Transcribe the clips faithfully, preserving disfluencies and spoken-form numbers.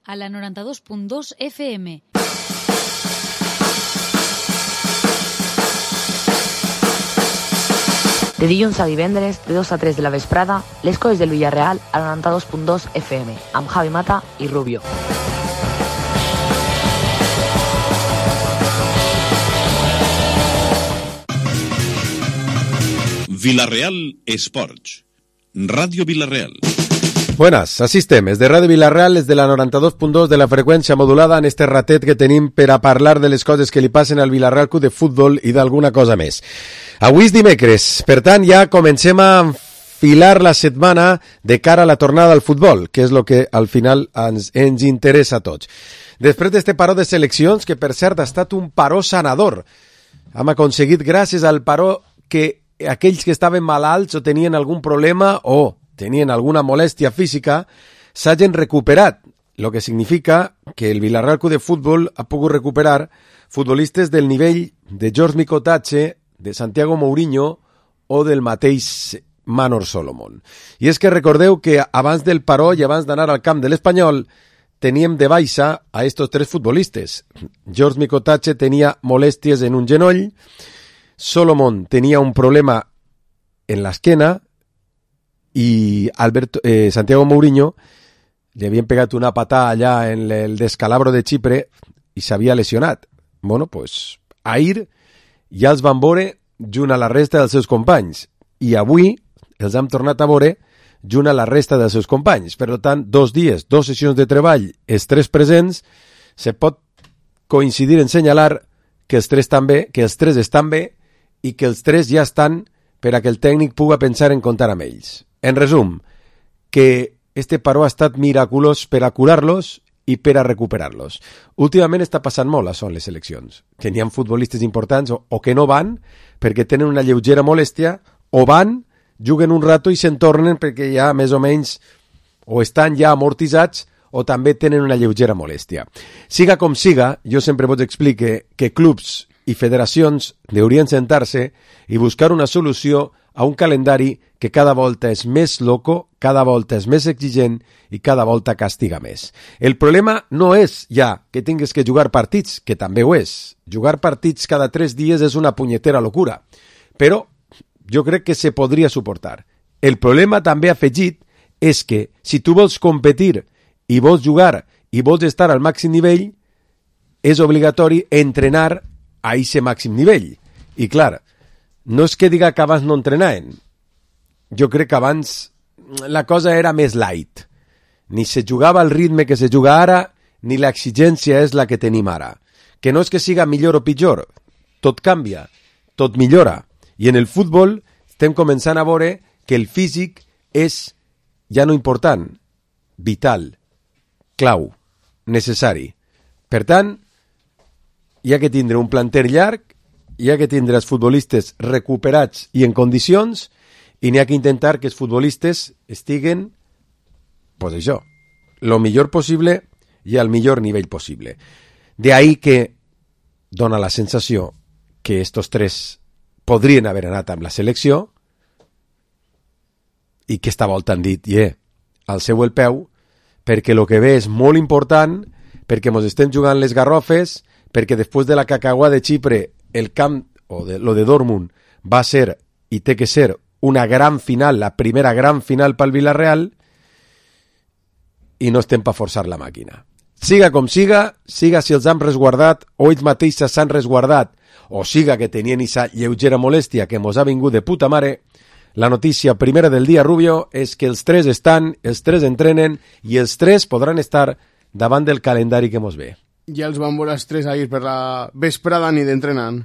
a la noranta-dos punt dos F M. De dilluns a divendres, de dos a tres de la vesprada, les coses del Villarreal a la noranta-dos punt dos F M, amb Javi Mata i Rubio. Villarreal Esports. Radio Villarreal. Buenas, así estem. És de Ràdio Villarreal, és de la noranta-dos punt dos de la freqüència modulada en este ratet que tenim per a parlar de les coses que li passen al Villarreal Club de Futbol i d'alguna cosa més. Avui és dimecres, per tant ja comencem a enfilar la setmana de cara a la tornada al futbol, que és el que al final ens, ens interessa a tots. Després d'este paró de seleccions, que per cert ha estat un paró sanador, hem aconseguit gràcies al paró que aquells que estaven malalts o tenien algun problema o tenien alguna molèstia física s'hagin recuperat, el que significa que el Villarreal Club de Futbol ha pogut recuperar futbolistes del nivell de George Mikotatxe, de Santiago Mourinho o del mateix Manor Solomon. I és que recordeu que abans del paró i abans d'anar al camp de l'Espanyol teníem de baixa a estos tres futbolistes. George Mikotatxe tenia molèsties en un genoll, Solomon tenia un problema en l'esquena i Alberto, eh, Santiago Mourinho li havien pegat una patada allà en el descalabro de Xipre i s'havia lesionat. Bueno, pues ahir ja els van veure junt a la resta dels seus companys i avui els hem tornat a veure junt a la resta dels seus companys. Per tant, dos dies, dos sessions de treball, els tres presents, se pot coincidir en senyalar que els tres també, que els tres estan bé i que els tres ja estan per a que el tècnic puga pensar en comptar amb ells. En resum, que este paró ha estat miraculós per a curar-los i per a recuperar-los. Últimament està passant molt, això, en les seleccions, que n'hi ha futbolistes importants o, o que no van perquè tenen una lleugera molèstia, o van, juguen un rato i se'n tornen perquè ja més o menys o estan ja amortitzats o també tenen una lleugera molèstia. Siga com siga, jo sempre vos explique que clubs i federacions haurien sentar-se i buscar una solució a un calendari que cada volta és més loco, cada volta és més exigent i cada volta castiga més. El problema no és ja que tingues que jugar partits, que també ho és. Jugar partits cada tres dies és una punyetera locura, però jo crec que se podria suportar. El problema també afegit és que si tu vols competir i vols jugar i vols estar al màxim nivell, és obligatori entrenar a aquest màxim nivell. I clar, no és que diga que abans no entrenaven. Jo crec que abans la cosa era més light. Ni se jugava al ritme que se juga ara, ni l'exigència és la que tenim ara. Que no és que siga millor o pitjor. Tot canvia, tot millora. I en el futbol estem començant a veure que el físic és ja no important, vital, clau, necessari. Per tant, hi ha que tindre un planter llarg, hi ha que tindre els futbolistes recuperats i en condicions, i n'hi ha que intentar que els futbolistes estiguen, pues això, lo millor possible i al millor nivell possible. De ahí que dona la sensació que estos tres podrien haver anat amb la selecció i que esta volta han dit, yeah, al seu el peu, perquè el que ve és molt important, perquè mos estem jugant les garrofes, perquè després de la cacagua de Xipre el camp, o de, lo de Dortmund, va ser i té que ser una gran final, la primera gran final pel Villarreal, i no estem per forçar la màquina. Siga com siga, siga si els han resguardat o ells mateixos s'han resguardat, o siga que tenien aquesta lleugera molèstia que mos ha vingut de puta mare, la notícia primera del dia, Rubio, és que els tres estan, els tres entrenen i els tres podran estar davant del calendari que mos ve. Ja els van veure els tres ahir per la vesprada ni d'entrenant.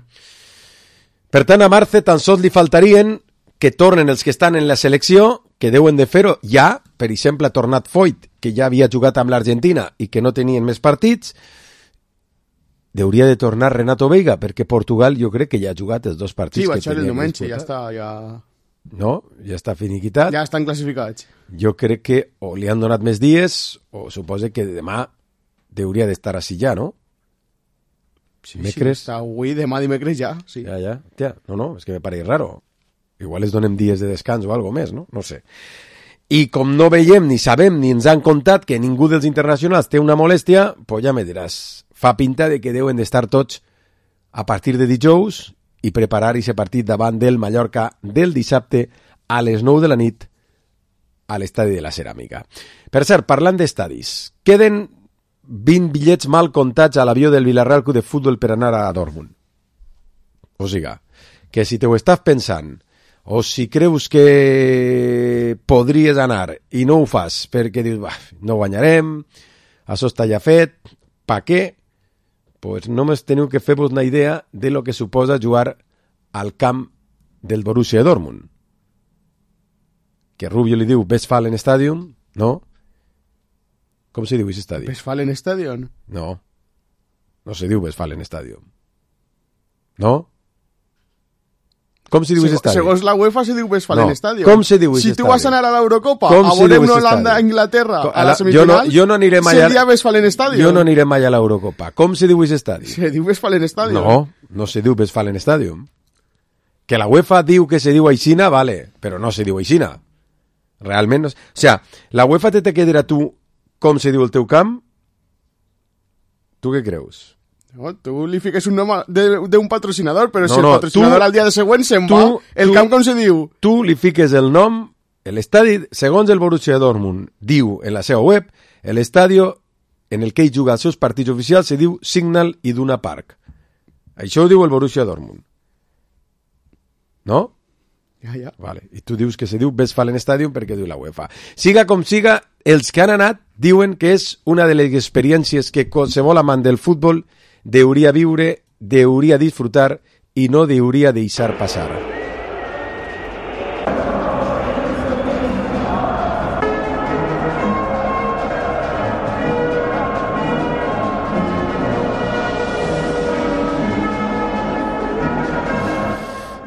Per tant, a Marce tan sols li faltarien que tornen els que estan en la selecció, que deuen de fer-ho ja, per exemple, ha tornat Foyt, que ja havia jugat amb l'Argentina i que no tenien més partits. Hauria de tornar Renato Veiga, perquè Portugal jo crec que ja ha jugat els dos partits. Sí, va que ser el tenia diumenge, ja disputat. està, ja... No, ja està finiquitat. Ja estan classificats. Jo crec que o li han donat més dies o suposa que demà hauria d'estar així ja, no? Sí, Dimecres... sí, està avui, demà dimecres ja, sí. Ja, ja, tia, no, no, és que me pareix raro. Igual es donem dies de descans o algo més, no? No sé. i com no veiem, ni sabem, ni ens han contat que ningú dels internacionals té una molèstia, pues ja me diràs, fa pinta de que deuen d'estar tots a partir de dijous i preparar aquest partit davant del Mallorca del dissabte a les nou de la nit a l'estadi de la Ceràmica. Per cert, parlant d'estadis, queden vint bitllets mal comptats a l'avió del Villarreal Club de Futbol per anar a Dortmund. O sigui, que si te ho estàs pensant, o si creus que podries anar i no ho fas perquè dius, bah, no guanyarem, això està ja fet, pa què? Pues només teniu que fer-vos una idea de lo que suposa jugar al camp del Borussia Dortmund. Que Rubio li diu Westfalen Stadium, no? Com se diu aquest estadi? Westfalen Stadium? No, no se diu Westfalen Stadium. No? Com se diu aquest estadi? Segons la UEFA se diu Westfalen no. Stadium. Com se diu aquest estadi? Si tu vas anar a l'Eurocopa, com a veure una Holanda-Anglaterra a la semifinal, jo no, jo no aniré mai seria Westfalen Stadium. Jo no aniré mai a l'Eurocopa. Com se diu aquest estadi? Se diu Westfalen Stadium. No, no se diu Westfalen Stadium. Que la UEFA diu que se diu aixina, vale, però no se diu aixina. Realment no... O sea, la UEFA te té que dir a tu com se diu el teu camp? Tu què creus? No, tu li fiques un nom d'un patrocinador, però no, si el no, patrocinador tu, al dia de següent se'n tu, va, el tu, camp com se diu? Tu li fiques el nom, l'estadi, segons el Borussia Dortmund, diu en la seva web, l'estadi en el que ell juga els seus partits oficials se diu Signal Iduna Park. Això ho diu el Borussia Dortmund. No? Ja, ja. Vale. I tu dius que se diu Westfalen Stadium perquè diu la UEFA. Siga com siga, els que han anat diuen que és una de les experiències que qualsevol amant del futbol deuria viure, deuria disfrutar i no deuria deixar passar.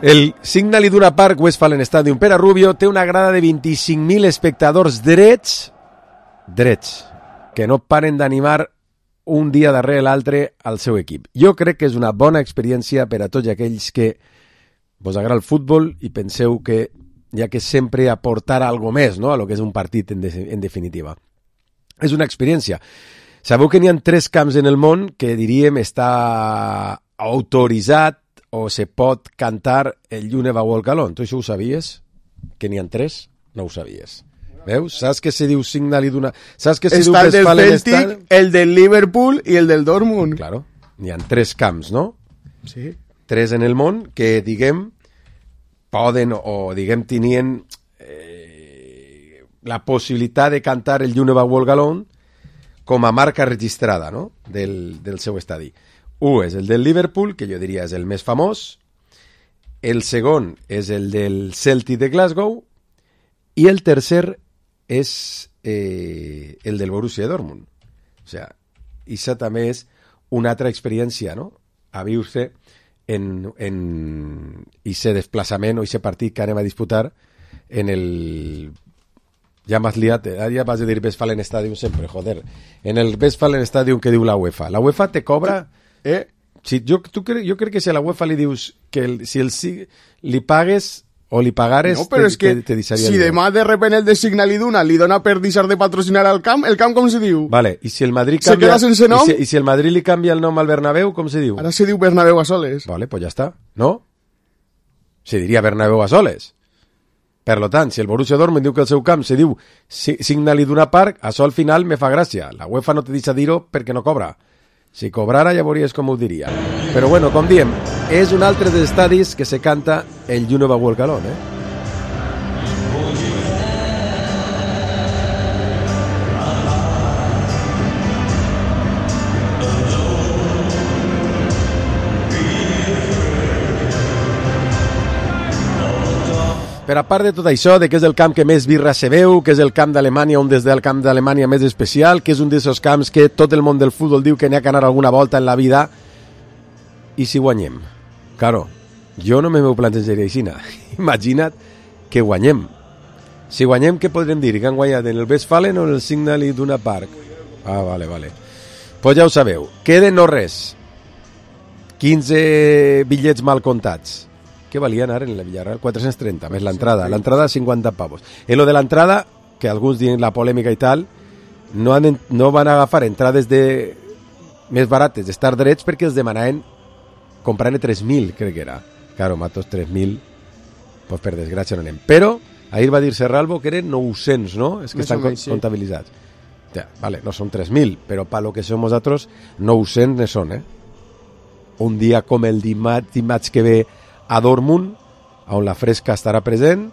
El Signal Iduna Park Westfalen Stadium per a Rubio té una grada de vint-i-cinc mil espectadors drets, drets, que no paren d'animar un dia darrere l'altre al seu equip. Jo crec que és una bona experiència per a tots aquells que vos agrada el futbol i penseu que hi ha que sempre aportar algo més, no?, a lo que és un partit en, de, en definitiva. És una experiència. Sabeu que n'hi ha tres camps en el món que diríem està autoritzat o se pot cantar el Llune va Walk Alone. Tu això ho sabies? Que n'hi ha tres? No ho sabies. Veus? Saps que se diu Signal Iduna... Saps que se diu Està el del Westfalen Celtic, Stadium? el del Liverpool i el del Dortmund. Claro, n'hi ha tres camps, no? Sí. Tres en el món que, diguem, poden o, diguem, tenien eh, la possibilitat de cantar el Llune va Walk Alone com a marca registrada, no?, del, del seu estadi. Un és el del Liverpool, que jo diria és el més famós, el segon és el del Celtic de Glasgow i el tercer és eh, el del Borussia Dortmund. O sigui, això també és una altra experiència, no?, a viure en, en ese desplaçament o ese partit que anem a disputar en el... Ja m'has liat, ja vas a dir Westfalen Stadium sempre, joder. En el Westfalen Stadium que diu la UEFA. La UEFA te cobra... Eh? Si, jo, tu cre, jo crec que si a la UEFA li dius que el, si el, si, li pagues o li pagares, no, però te, és que te, te deixaria si demà de repente el de Signal Iduna li dona per deixar de patrocinar al camp, el camp com se diu? Vale, i si el Madrid se canvia, queda sense nom? I si, i si el Madrid li canvia el nom al Bernabéu, com se diu? Ara se diu Bernabéu a soles. Vale, pues ja està, no? Se diria Bernabéu a soles. Per lo tant, si el Borussia Dortmund diu que el seu camp se diu Signal Iduna Park, això al final me fa gràcia. La UEFA no te deixa dir-ho perquè no cobra. Si cobrara ja veuries com ho diria. Però bueno, com diem, és un altre dels estadis que se canta el Llune va Walk Alone, eh? Per a part de tot això, de que és el camp que més birra se veu, que és el camp d'Alemanya, un des del camp d'Alemanya més especial, que és un d'aquests camps que tot el món del futbol diu que n'hi ha que anar alguna volta en la vida, i si guanyem? Claro, jo no me m'ho plantejaria així. Imagina't que guanyem. Si guanyem, què podrem dir? Que han guanyat en el Westfalen o en el Signal Iduna Park? Ah, vale, vale. Pues ja ho sabeu. Queden no res. quinze bitllets mal comptats. Què valien ara en la Villarreal? quatre-cents trenta, més l'entrada. L'entrada, cinquanta pavos. En lo de l'entrada, que alguns dient la polèmica i tal, no, han, no van agafar entrades de més barates d'estar drets perquè els demanaven comprant tres mil, crec que era. Claro, matos tres mil, pues per desgràcia no anem. Però ahir va dir Serralvo que eren nou-cents, no? És que Més estan o menys, sí. comptabilitzats. Ja, vale, no són tres mil, però pa lo que som nosaltres, nou-cents ne són, eh? Un dia com el dimarts, dimarts que ve a Dortmund, on la fresca estarà present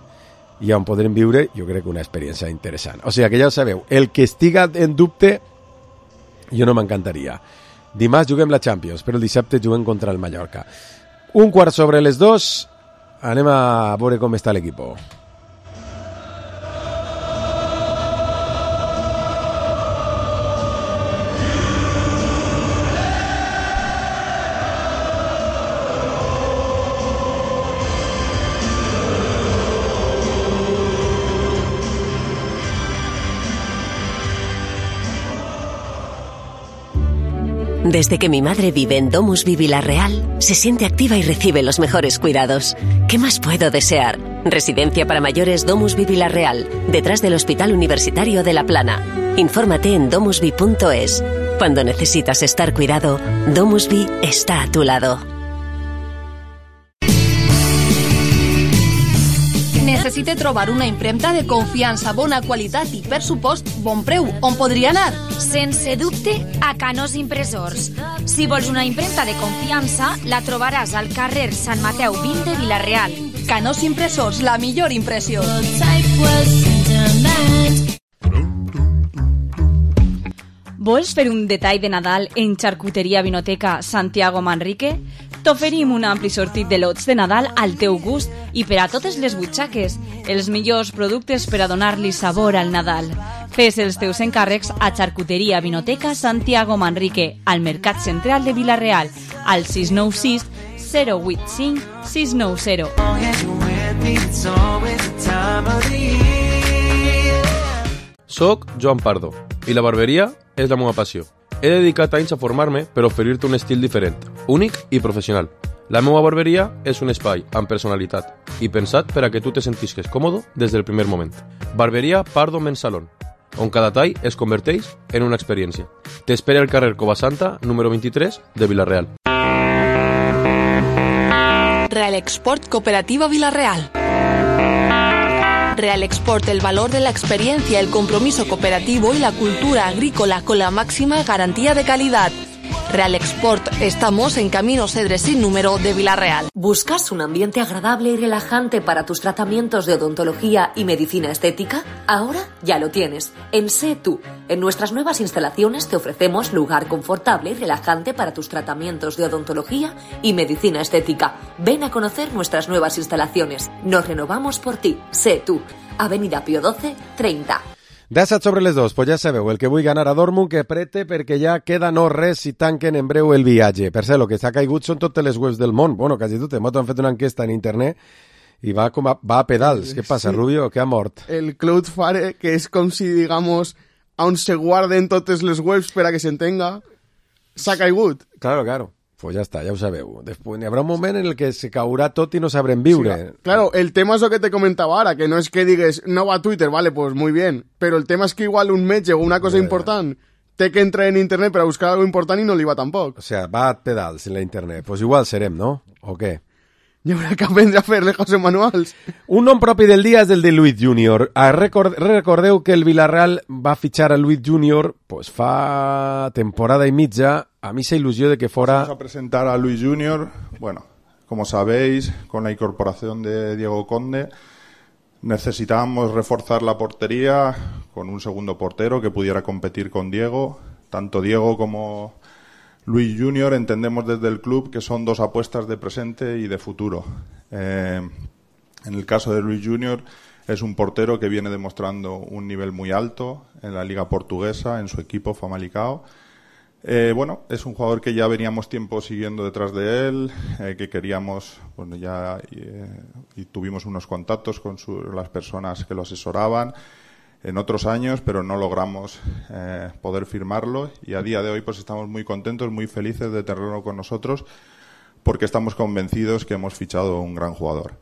i on podrem viure, jo crec que una experiència interessant. O sigui que ja ho sabeu, el que estiga en dubte, jo no m'encantaria. Dimarts juguem la Champions, però el dissabte juguem contra el Mallorca. Un quart sobre les dos, anem a veure com està l'equip. Desde que mi madre vive en Domusvi Vilarreal, se siente activa y recibe los mejores cuidados. ¿Qué más puedo desear? Residencia para mayores Domusvi Vilarreal, detrás del Hospital Universitario de La Plana. Infórmate en domusvi punto es. Cuando necesitas estar cuidado, Domusvi está a tu lado. Necessite trobar una impremta de confiança, bona qualitat i, per supost, bon preu. On podria anar? Sense dubte, a Canós Impressors. Si vols una impremta de confiança, la trobaràs al carrer Sant Mateu vint de Vila-real. Canós Impressors, la millor impressió. Vols fer un detall de Nadal en Xarcuteria Vinoteca Santiago Manrique? T'oferim un ampli sortit de lots de Nadal al teu gust i per a totes les butxaques, els millors productes per a donar-li sabor al Nadal. Fes els teus encàrrecs a Xarcuteria Vinoteca Santiago Manrique, al Mercat Central de Vila-real, al sis nou sis zero vuit cinc sis nou zero. Soc Joan Pardo i la barberia és la meva passió. He dedicat anys a formar-me per oferir-te un estil diferent, únic i professional. La meva barberia és un espai amb personalitat i pensat per a que tu te sentisques còmode des del primer moment. Barberia Pardo Men's Salon, on cada tall es converteix en una experiència. T'espera al carrer Covasanta, número vint-i-tres, de Vila-real. Real Export Cooperativa Vila-real. Real Export, el valor de la experiencia, el compromiso cooperativo y la cultura agrícola con la máxima garantía de calidad. Real Export, estamos en Camino Cedres sin número de Vila-real. ¿Buscas un ambiente agradable y relajante para tus tratamientos de odontología y medicina estética? Ahora ya lo tienes. En Sé Tú. En nuestras nuevas instalaciones te ofrecemos lugar confortable y relajante para tus tratamientos de odontología y medicina estética. Ven a conocer nuestras nuevas instalaciones. Nos renovamos por ti. Sé Tú. Avenida Pío doce, treinta. disset sobre les dos, pues ja sabeu, el que vull ganar a Dortmund que prete perquè ja queda no res si tanquen en breu el viatge. Per cert, el que s'ha caigut són totes les webs del món. Bueno, quasi totes. M'han fet una enquesta en internet i va, com a, va a pedals. Què passa, sí. Rubio? Que ha mort? El Cloudflare, que és com si, digamos, on se guarden totes les webs per a que s'entenga, s'ha caigut. Claro, claro. Pues ja està, ja ho sabeu. Després n'hi haurà un moment en el que se caurà tot i no sabrem viure. Sí, claro, el tema es lo que te comentaba ahora, que no es que digues, no va a Twitter, vale, pues muy bien, pero el tema es que igual un metge o una cosa yeah. important té que entrar en internet per a buscar algo important i no li va tampoc. O sea, va a pedals en la internet. Pues igual serem, no? O què? Hi haurà que aprendre a fer-le coses manuals. Un nom propi del dia és el de Luis Junior. Record, recordeu que el Villarreal va fitxar a Luis Junior pues fa temporada y mitja. A mí se ilusió de que fuera... Vamos a presentar a Luis Junior. Bueno, como sabéis, con la incorporación de Diego Conde, necesitábamos reforzar la portería con un segundo portero que pudiera competir con Diego. Tanto Diego como Luis Junior entendemos desde el club que son dos apuestas de presente y de futuro. Eh, en el caso de Luis Junior es un portero que viene demostrando un nivel muy alto en la liga portuguesa, en su equipo Famalicão. Eh, bueno, es un jugador que ya veníamos tiempo siguiendo detrás de él, eh, que queríamos, bueno, ya eh, y tuvimos unos contactos con su, las personas que lo asesoraban en otros años, pero no logramos eh, poder firmarlo y a día de hoy pues estamos muy contentos, muy felices de tenerlo con nosotros porque estamos convencidos que hemos fichado un gran jugador.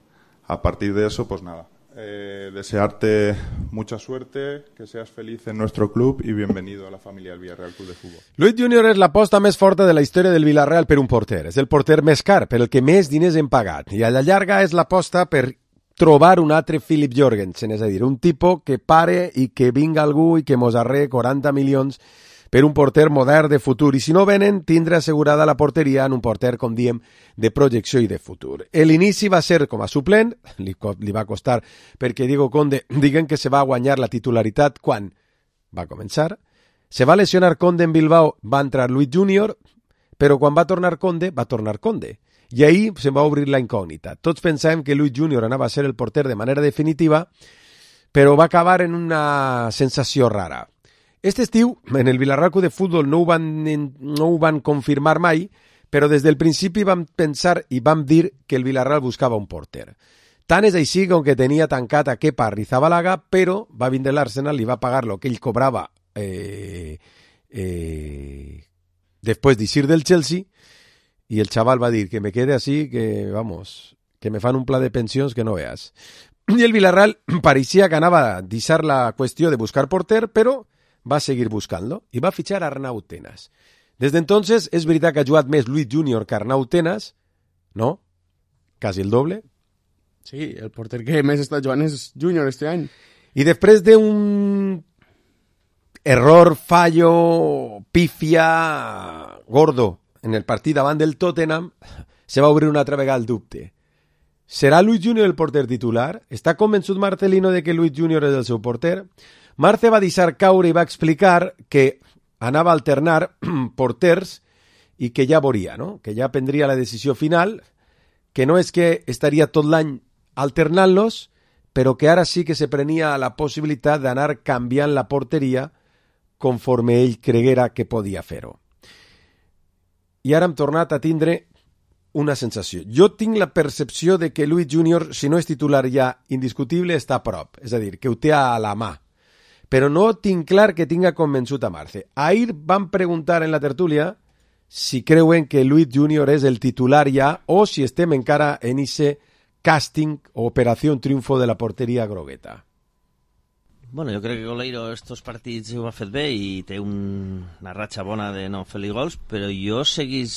A partir de eso, pues nada, eh, desearte mucha suerte, que seas feliz en nuestro club y bienvenido a la familia del Villarreal Club de Futbol. Luis Junior és l'aposta més forta de la història del Villarreal per un porter. És el porter més car, per el que més diners hem pagat. I a la llarga és l'aposta per trobar un altre Philip Jorgensen, és a dir, un tipus que pare i que vinga algú i que mos arre quaranta milions per un porter modern de futur. I si no venen, tindrà assegurada la porteria en un porter, com diem, de projecció i de futur. L'inici va ser com a suplent, li, li va costar perquè Diego Conde, diguen que se va guanyar la titularitat quan va començar. Se va lesionar Conde en Bilbao, va entrar Luis Junior, però quan va tornar Conde, va tornar Conde. I ahir se va obrir la incògnita. Tots pensàvem que Luis Junior anava a ser el porter de manera definitiva, però va acabar en una sensació rara. Este estiu, en el Villarreal Club de Futbol no ho van, no ho van confirmar mai, però des del principi vam pensar i vam dir que el Villarreal buscava un porter. Tant és així com que tenia tancat a Kepa Arrizabalaga, però va vindre l'Arsenal i va pagar el que ell cobrava eh, eh, després d'eixir del Chelsea, i el xaval va dir que me quede así, que vamos, que me fan un pla de pensions que no veas. I el Villarreal pareixia que anava a deixar la qüestió de buscar porter, però va seguir buscant-lo i va fitxar Arnau Tenas. Des d'entonces, és veritat que ha jugat més Luis Junior que Arnau Tenas, no? Quasi el doble. Sí, el porter que més està jugant és Junior este any. I després d'un error, fallo, pífia, gordo en el partit davant del Tottenham, se va obrir una altra vegada el dubte. Serà Luis Junior el porter titular? Està convençut Marcelino de que Luis Junior és el seu porter? Marce va deixar caure i va explicar que anava a alternar porters i que ja veuria, no? Que ja prendria la decisió final, que no és que estaria tot l'any alternant-los, però que ara sí que se prenia la possibilitat d'anar canviant la porteria conforme ell creguera que podia fer-ho. I ara hem tornat a tindre una sensació. Jo tinc la percepció de que Luis Junior, si no és titular ja indiscutible, està a prop, és a dir, que ho té a la mà. Però no tinc clar que tinga convençut a Marce. Ahir van preguntar en la tertúlia si creuen que Luis Junior és el titular ja o si estem encara en ese casting o operació triunfo de la porteria grogueta. Bueno, jo crec que Goleiro estos partits ho ha fet bé i té un, una ratxa bona de no fer-li gols, però jo seguís...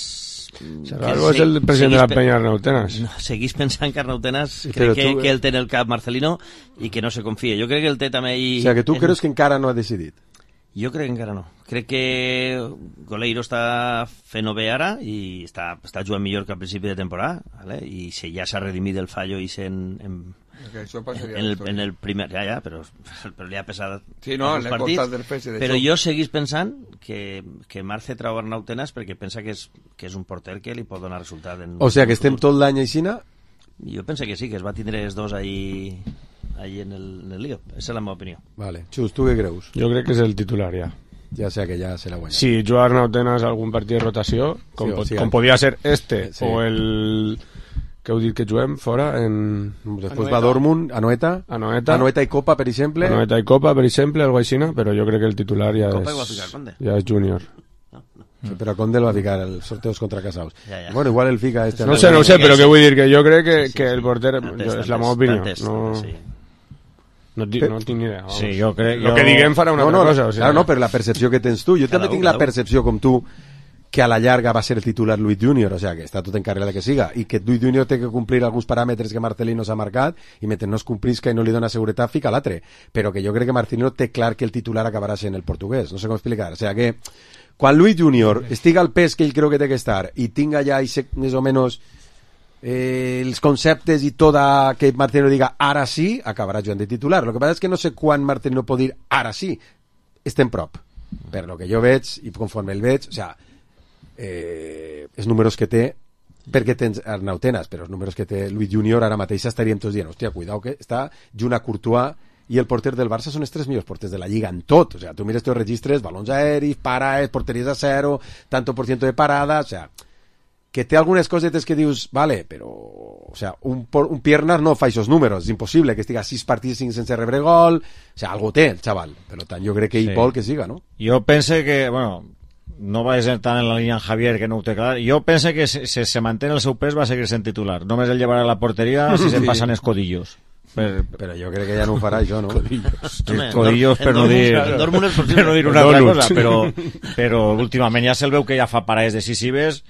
Serralvo és el president de la penya Arnau Tenas. No, seguís pensant que Arnau Tenas crec que, tu... que ell té en el cap Marcelino i que no se confia. Jo crec que el té també... I... O sigui, que tu en... creus que encara no ha decidit? Jo crec que encara no. Crec que Goleiro està fent-ho bé ara i està, està jugant millor que al principi de temporada, ¿vale? I si ja s'ha redimit el fallo i sent... En... Okay, en, el, en el primer, ja, ja, però, però li ha pesat sí, no, els partits, del P S, de però jo seguís pensant que, que Marce trau Arnau Tenas perquè pensa que és, que és un porter que li pot donar resultat en, o sigui que estem tot l'any aixina? Jo penso que sí, que es va tindre els dos ahí, ahí en, el, en el lío, esa és la meva opinió. Vale. Xus, tu què creus? Jo crec que és el titular ja. Ja sé que ja se la guanya. Si juga Arnau Tenas algun partit de rotació com, sí, pot, sí, com podia ser este sí. O el... que heu dit que juguem fora en... Després va Dortmund, Anoeta Anoeta Anoeta i Copa, per exemple Anoeta i Copa, per exemple, algo així, però jo crec que el titular ja Copa és ficar, ja és Junior no, no. Sí, però Conde el va ficar els sorteos contra Casaus ja, ja. Bueno, igual el fica este no sé, no sé, però què vull dir, que jo crec que, sí, sí, que el porter antes, és la meva opinió antes, no... Sí. No, no tinc ni idea. Sí, jo crec, jo... El que diguem farà una no, altra no, cosa. O sigui, claro, no, per la percepció que tens tu. Jo també tinc la percepció, com tu, que a la llarga va ser el titular Luis Junior, o sea, que està tot en carrera de que siga, i que Luis Junior té que complir alguns paràmetres que Marcelino s'ha marcat, i mentre no es complisca i no li dona seguretat, fica l'altre. Però que jo crec que Marcelino té clar que el titular acabarà sent el portuguès, no sé com explicar. O sea, que quan Luis Junior estiga al pes que ell creu que té que estar, i tinga ja més o menys eh, els conceptes i tot a que Marcelino diga ara sí, acabarà jugant de titular. Lo que passa és que no sé quan Marcelino pot dir ara sí, estem prop. Per lo que jo veig, i conforme el veig, o sea, eh, els números que té, perquè tens Arnau Tenas, però els números que té Luis Junior ara mateix estaríem tots dient, hòstia, cuidao que està junt a Courtois i el porter del Barça són els tres millors porters de la Lliga en tot, o sea, tu mires tots els registres, balons aeris, paraes, porteries a zero, tanto por ciento de parada, o sea, que té algunes cosetes que dius, vale, però, o sea, un, un Piernas no fa aquests números, és impossible que estiga sis partits sense rebre gol, o sea, algo té el xaval, per tant, jo crec que ell sí. vol que siga, no? Jo pense que, bueno, no va ser tant en la línia en Javier, que no ho té clar, jo pense que si se, se manté el seu pes va seguir sent titular, només el llevarà a la porteria si sí. se passen escodillos. Per... Però jo crec que ja no ho farà això, no? Codillos, Codillos per, no dir, per no dir una altra cosa, però, però últimament ja se'l veu que ja fa parades decisives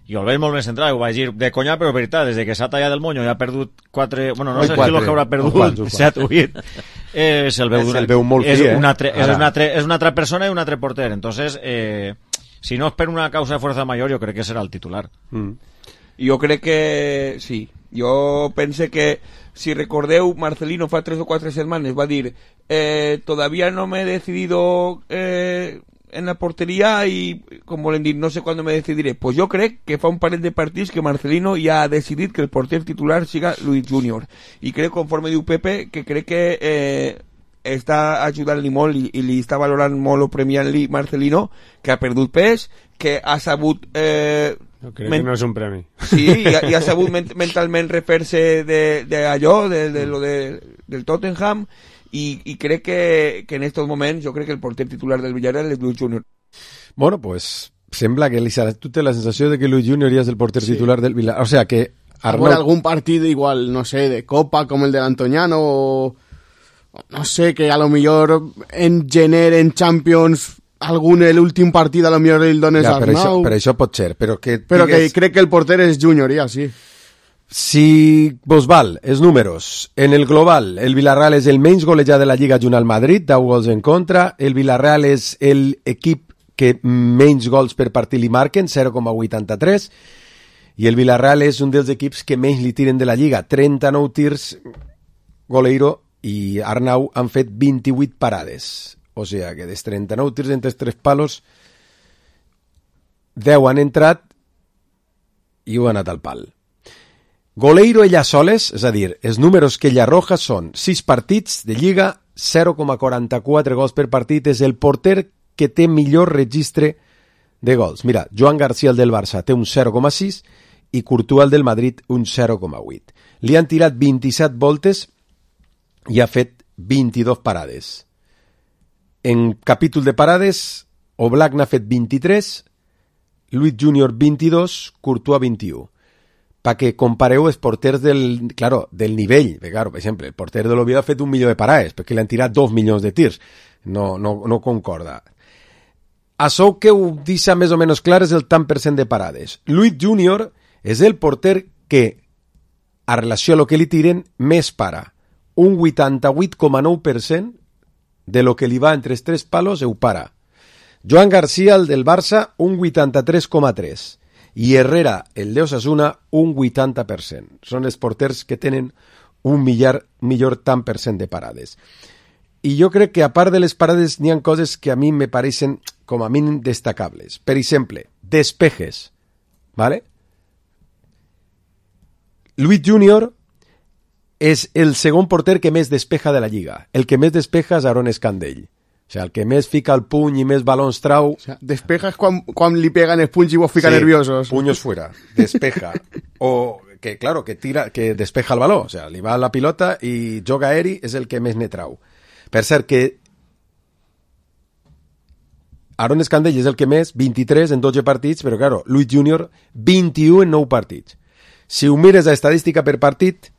i el veig molt més central, ho vaig dir de conya, però veritat, des de que s'ha tallat el monyo i ha perdut quatre, bueno, no sé si lo que haurà perdut, set o vuit, eh, se'l veu, se veu molt és, fi, eh? una altre, és, una altre, és una altra persona i un altre porter, entonces, eh, si no és per una causa de fuerza mayor, jo crec que serà el titular. Mm. Jo crec que sí. Jo pense que, si recordeu, Marcelino fa tres o quatre setmanes va dir eh, todavía no me he decidido eh, en la portería y, com volen dir, no sé cuándo me decidiré. Pues jo crec que fa un parell de partits que Marcelino ja ha decidit que el porter titular siga Luis Junior. I crec, conforme diu Pepe, que crec que eh, està ajudant-li molt i, i li està valorant molt o premiant-li Marcelino, que ha perdut pes, que ha sabut... Eh, Jo crec men... que no és un premi. Sí, i ha, i ha sabut ment mentalment refer-se d'allò, de, de, de lo de, del Tottenham, i, i crec que, que en estos moments jo crec que el porter titular del Villarreal és Luis Junior. Bueno, pues sembla que Lisa, tu té la sensació de que Luis Junior ja és el porter sí. titular del Villarreal. O sea que Arnaud... Por algún partido igual, no sé, de Copa como el del Antoñano o no sé, que a lo mejor en gener, en Champions... algun el últim partit a lo millor el dones ja, per Arnau. Això, per això pot ser, però que... Però digues... que crec que el porter és Junior, ja, sí. Si vos val els números, en el global, el Villarreal és el menys golejat de la Lliga junt al Madrid, deu gols en contra, el Villarreal és l'equip que menys gols per partit li marquen, zero coma vuitanta-tres, i el Villarreal és un dels equips que menys li tiren de la Lliga, trenta-nou tirs, Goleiro i Arnau han fet vint-i-vuit parades. O sea, que dels trenta-nou tirs entre els tres palos, deu han entrat i ho han anat al pal. Goleiro ella soles, és a dir, els números que ella arroja són sis partits de Lliga, zero coma quaranta-quatre gols per partit, és el porter que té millor registre de gols. Mira, Joan García, el del Barça, té un zero coma sis i Courtois, el del Madrid, un zero coma vuit. Li han tirat vint-i-set voltes i ha fet vint-i-dos parades. En capítol de parades, Oblak n'ha fet vint-i-tres, Luis Junior vint-i-dos, Courtois vint-i-u. Pa que compareu els porters del, claro, del nivell. Claro, per exemple, el porter de l'Oviedo ha fet un milió de parades, perquè li han tirat dos milions de tirs. No, no, no concorda. Açò que ho deixa més o menys clar és el tant per cent de parades. Luis Junior és el porter que, a relació a lo que li tiren, més para. Un vuitanta-vuit coma nou per cent de lo que li va entre els tres palos ho para. Joan García, el del Barça, un vuitanta-tres coma tres. I Herrera, el de Osasuna, un vuitanta per cent. Són els porters que tenen un millor, millor tant per cent de parades. I jo crec que a part de les parades n'hi ha coses que a mi me pareixen com a mínim destacables. Per exemple, despejes. ¿Vale? Luis Junior és el segon porter que més despeja de la Lliga. El que més despeja és Aaron Escandell. O sea, el que més fica el puny i més balons trau... O sea, despeja és quan, quan li peguen els punys i vos fica sí, nerviosos. Puños fuera, despeja. O que, claro, que tira, que despeja el baló. O sea, li va la pilota i joga aeri és el que més ne trau. Per cert que Aaron Escandell és el que més, vint-i-tres en dotze partits, però claro, Luis Junior, vint-i-u en nou partits. Si ho mires a estadística per partit,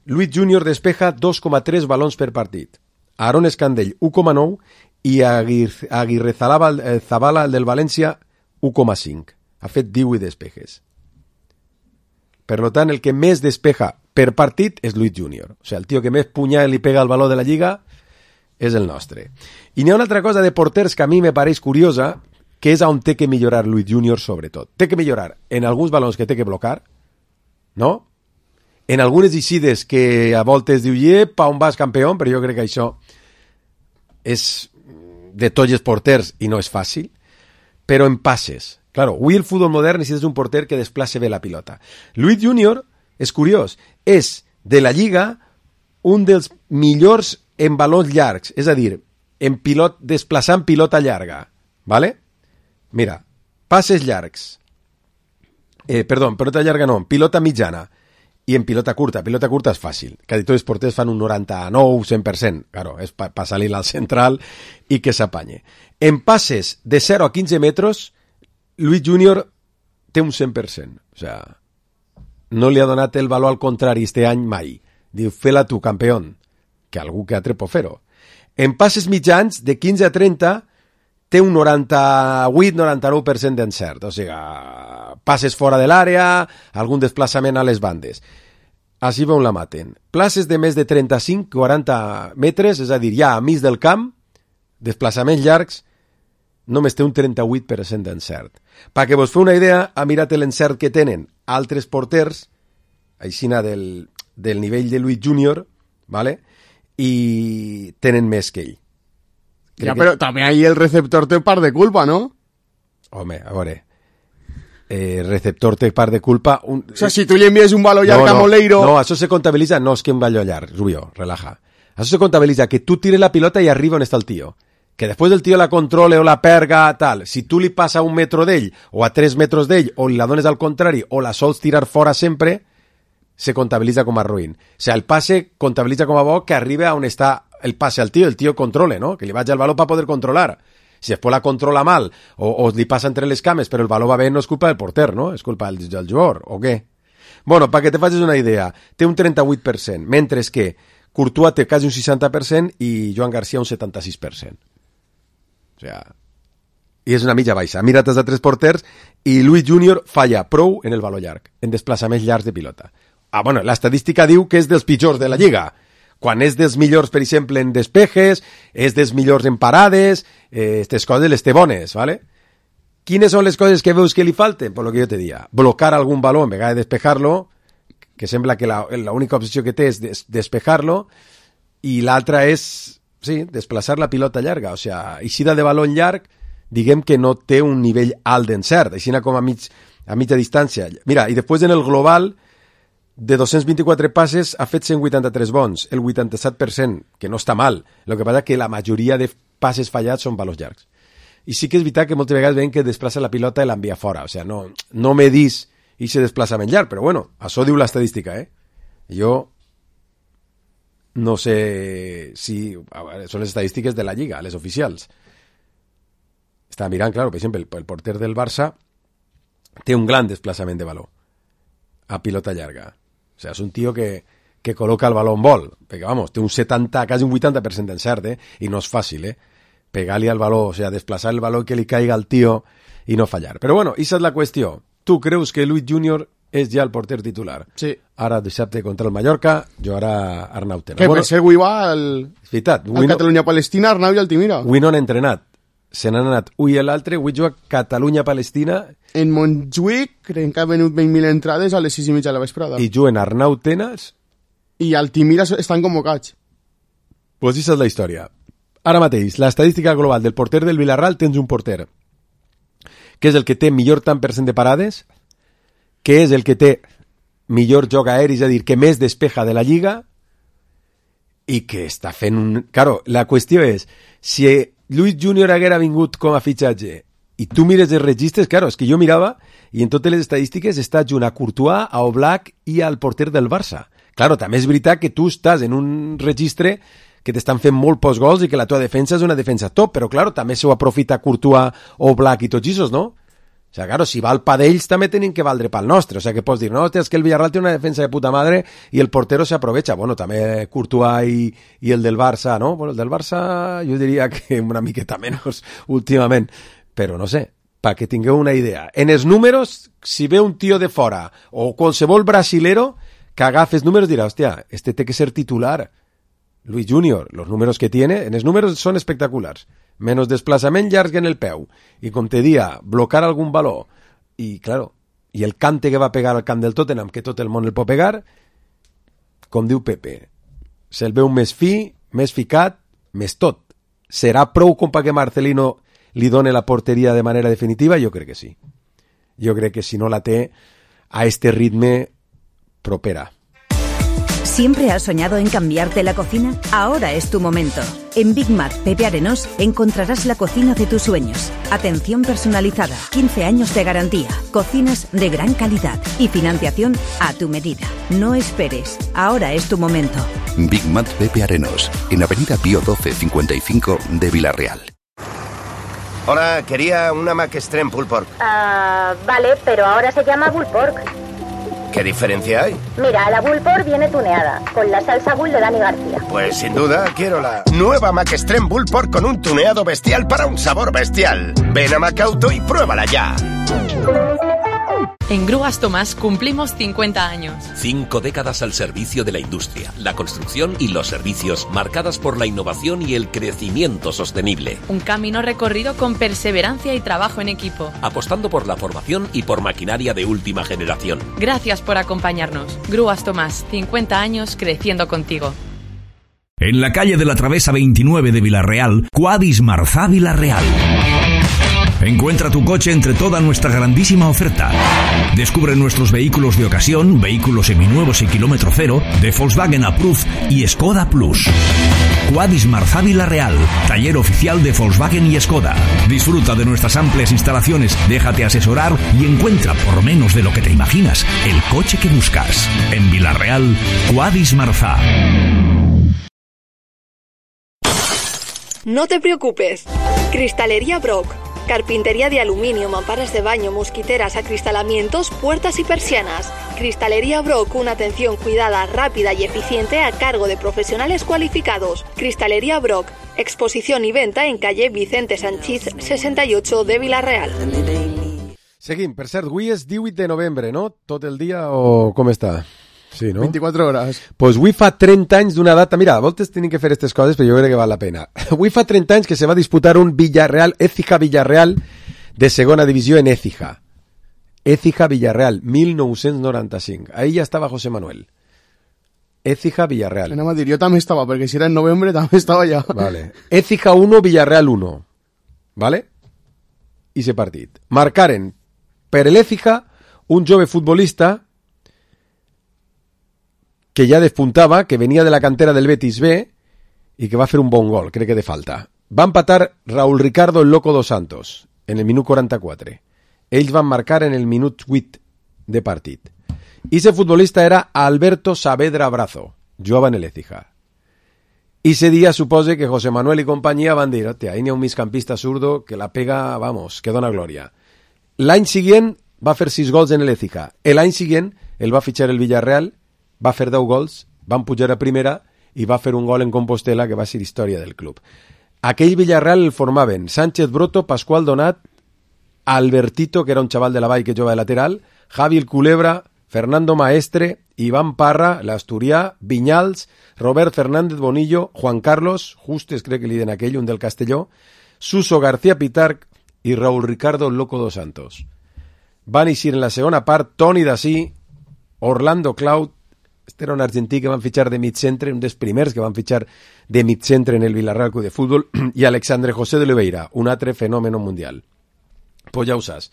Luis Junior despeja dos coma tres balons per partit. Aaron Escandell, u coma nou, i Aguirre, Aguirre Zabala, eh, Zabala, el del València, u coma cinc. Ha fet divuit despejes. Per tant, el que més despeja per partit és Luis Junior. O sigui, el tio que més punyà li pega al baló de la Lliga és el nostre. I n'hi ha una altra cosa de porters que a mi me pareix curiosa, que és on té que millorar Luis Junior sobretot. Té que millorar en alguns balons que té que blocar, no? En algunes eixides que a voltes diu «Epa, on vas, campió?» però jo crec que això és de tots els porters i no és fàcil, però en passes. Claro, avui el futbol modern necessites un porter que desplace bé la pilota. Luis Junior, és curiós, és de la Lliga un dels millors en balons llargs, és a dir, en pilot, desplaçant pilota llarga. ¿Vale? Mira, passes llargs. Eh, perdó, pilota llarga no, pilota mitjana. I en pilota curta. Pilota curta és fàcil. Quasi tots els porters fan un noranta-nou, cent per cent. Claro, és per pa salir al central i que s'apanye. En passes de zero a quinze metres, Luis Junior té un cent per cent. O sea, no li ha donat el valor al contrari este any mai. Diu, fe-la tu, campió, que algú que altre pot fer-ho. En passes mitjans, de quinze a trenta, té un noranta-vuit noranta-nou per cent d'encert. O sigui, passes fora de l'àrea, algun desplaçament a les bandes. Així veuen la maten. Places de més de trenta-cinc quaranta metres, és a dir, ja a mig del camp, desplaçaments llargs, només té un trenta-vuit per cent d'encert. Perquè vos feu una idea, ha mirat l'encert que tenen altres porters, aixina del, del nivell de Luis Junior, ¿vale? I tenen més que ell. Crec ja, però que... també ahí el receptor té part de culpa, ¿no? Home, a veure... Eh, receptor té part de culpa... Un... O sea, si tu li envies un baló llarg no, no, a Moleiro... No, això se comptabilitza, no és que un baló llarg, Rubio, relaja. Això se comptabilitza que tu tires la pilota i arriba on està el tio. Que després el tio la controle o la perga, tal. Si tu li passa a un metro d'ell, o a tres metres d'ell, o li la dones al contrari, o la sols tirar fora sempre, se comptabilitza com a ruïn. O sea, el passe comptabilitza com a bo que arriba on està el passe al tio, el tio controle, no? Que li vagi al baló per poder controlar. Si després la controla mal o, o li passa entre les cames però el baló va bé, no és culpa del porter, no? És culpa del, del jugador, o què? Bueno, perquè te facis una idea, té un trenta-vuit per cent, mentre que Courtois té quasi un seixanta per cent i Joan García un setanta-sis per cent. O sea, i és una mitja baixa. Mira't els altres porters i Luis Junior falla prou en el baló llarg, en desplaçaments llargs de pilota. Ah, bueno, l'estadística diu que és dels pitjors de la Lliga. Quan és dels millors, per exemple, en despejes, és dels millors en parades, eh, aquestes coses les té bones, ¿vale? Quines són les coses que veus que li falten? Pues lo que jo te dia. Blocar algun baló en vegada de despejar-lo, que sembla que la, la única opció que té és des, despejar-lo, i l'altra és, sí, desplaçar la pilota llarga. O sea, eixida de baló llarg, diguem que no té un nivell alt d'encert, així com a, mig, a mitja distància. Mira, i després en el global... de dos-cents vint-i-quatre passes ha fet cent vuitanta-tres bons, el vuitanta-set per cent, que no està mal. El que passa que la majoria de passes fallats són valors llargs. I sí que és veritat que moltes vegades veiem que desplaça la pilota i l'envia fora. O sigui, no, no me dis ese desplaçament llarg, però bueno, això diu l'estadística, eh? Jo no sé si... Veure, són les estadístiques de la Lliga, les oficials. Estava mirant, claro, per exemple, el, el porter del Barça té un gran desplaçament de baló a pilota llarga. O sea, és un tio que, que col·loca el baló en vol, perquè, vamos, té un setanta, quasi un vuitanta per cent d'encert, eh? I no és fàcil, eh? Pegar-li al baló, o sea, desplaçar el baló que li caiga al tio i no fallar. Però bueno, esa és la qüestió. Tu creus que Luis Junior és ja el porter titular? Sí. Ara dissabte contra el Mallorca, jugarà Arnau Tena. Que bueno, per ser avui va el, veritat, el Catalunya-Palestina, Arnau i Altimira. Avui no han entrenat. Se n'han anat ui i l'altre, avui juga Catalunya-Palestina. En Montjuïc, crec que ha venut vint mil entrades a les sis i mitja de la vesprada. I juguen Arnau Tenas. I Altimira estan convocats. Pues aquesta és la història. Ara mateix, l'estadística global del porter del Villarreal, tens un porter que és el que té millor tant per cent de parades, que és el que té millor joc aeri, és a dir, que més despeja de la Lliga, i que està fent un... Claro, la qüestió és, si Luis Junior haguera vingut com a fitxatge i tu mires els registres, claro, és que jo mirava i en totes les estadístiques està junt a Courtois, a Oblak i al porter del Barça. Claro, també és veritat que tu estàs en un registre que t'estan fent molt pocs gols i que la teva defensa és una defensa top, però claro, també s'ho aprofita Courtois, Oblak i tots aquests, no? O sea, claro, si val pa d'ells també tenen que valdre pel nostre. O sea, que pots dir, no, hòstia, és que el Villarreal té una defensa de puta madre i el portero se aprovecha. Bueno, també Courtois i, i el del Barça, no? Bueno, el del Barça jo diria que una miqueta menys últimament. Però no sé, perquè tingueu una idea. En els números, si ve un tio de fora o qualsevol brasilero que agafes números dirà, hòstia, este té que ser titular. Luis Junior, los números que tiene, en els números són espectaculars. Menos desplaçament llarg en el peu i com te dia, blocar algun baló i claro, i el cante que va pegar al camp del Tottenham, que tot el món el pot pegar, com diu Pepe, se'l veu més fi, més ficat, més tot. Serà prou com perquè Marcelino li done la porteria de manera definitiva? Jo crec que sí. Jo crec que si no la té a este ritme propera. ¿Siempre has soñado en cambiarte la cocina? Ahora es tu momento. En Big Mac Pepe Arenós encontrarás la cocina de tus sueños. Atención personalizada, quince años de garantía, cocinas de gran calidad y financiación a tu medida. No esperes, ahora es tu momento. Big Mac Pepe Arenós, en Avenida Pío doce cincuenta y cinco de Villarreal. Hola, quería una Mac Extreme Pulled Pork. Ah, uh, vale, pero ahora se llama Pulled Pork. ¿Qué diferencia hay? Mira, la Bullport viene tuneada, con la salsa Bull de Dani García. Pues sin duda, quiero la nueva McExtreme Bullport con un tuneado bestial para un sabor bestial. Ven a Macauto y pruébala ya. En Grúas Tomás cumplimos cincuenta años. Cinco décadas al servicio de la industria, la construcción y los servicios, marcadas por la innovación y el crecimiento sostenible. Un camino recorrido con perseverancia y trabajo en equipo. Apostando por la formación y por maquinaria de última generación. Gracias por acompañarnos. Grúas Tomás, cincuenta años creciendo contigo. En la calle de la Travesa veintinueve de Villarreal, Quadis Marzá Villarreal. Encuentra tu coche entre toda nuestra grandísima oferta. Descubre nuestros vehículos de ocasión, vehículos seminuevos y kilómetro cero, de Volkswagen Approved y Skoda Plus. Quadis Marzá Villarreal, taller oficial de Volkswagen y Skoda. Disfruta de nuestras amplias instalaciones, déjate asesorar y encuentra, por menos de lo que te imaginas, el coche que buscas. En Villarreal, Quadis Marzá. No te preocupes. Cristalería Brock. Carpintería de aluminio, mamparas de baño, mosquiteras, acristalamientos, puertas y persianas. Cristalería Brock, una atención cuidada, rápida y eficiente a cargo de profesionales cualificados. Cristalería Brock, exposición y venta en calle Vicente Sanchís sesenta y ocho de Villarreal. Seguim, per cert, avui és divuit de novembre, no? Tot el dia o com està? Sí, no? veinticuatro horas. Pues avui fa trenta anys d'una data... Mira, a voltes tenim que fer aquestes coses, però jo crec que val la pena. Avui fa trenta anys que se va disputar un Villarreal, Écija Villarreal, de segona divisió en Écija. Écija Villarreal, mil nou-cents noranta-cinc. Ahí ja estava José Manuel. Écija Villarreal. Anem a dir, jo també estava, perquè si era en novembre també estava ja. Vale. Écija uno, Villarreal uno. Vale? I se partit. Marcaren per l'Écija un jove futbolista que ja despuntava, que venia de la cantera del Betis B i que va fer un bon gol, crec que de falta. Va empatar Raúl Ricardo el Loco dos Santos en el minut quaranta-quatre. Ells van marcar en el minut vuit de partit. I ese futbolista era Alberto Saavedra Brazo, jugava en l'Écija. I ese dia supose que José Manuel i companyia van dir, hòstia, ahí n'hi ha un migcampista zurdo que la pega, vamos, que dona glòria. L'any següent va fer sis gols en l'Écija. L'any següent el va fitxar el Villarreal, va fer deu gols, van pujar a primera i va fer un gol en Compostela que va ser història del club. Aquell Villarreal el formaven Sánchez Broto, Pascual Donat, Albertito, que era un xaval de la Vall que jugava de lateral, Javi el Culebra, Fernando Maestre, Iván Parra, l'Asturià, Viñals, Robert Fernández Bonillo, Juan Carlos, Justes crec que li den aquell, un del Castelló, Suso García Pitarch i Raúl Ricardo Loco dos Santos. Van eixir en la segona part Toni Dasí, Orlando Cloud, este era un argentí que van fitxar de mid-centre, un dels primers que van fitxar de mid-centre en el Villarreal Club de Fútbol, i Alexandre José de Oliveira, un altre fenòmeno mundial. Pues ja ho saps.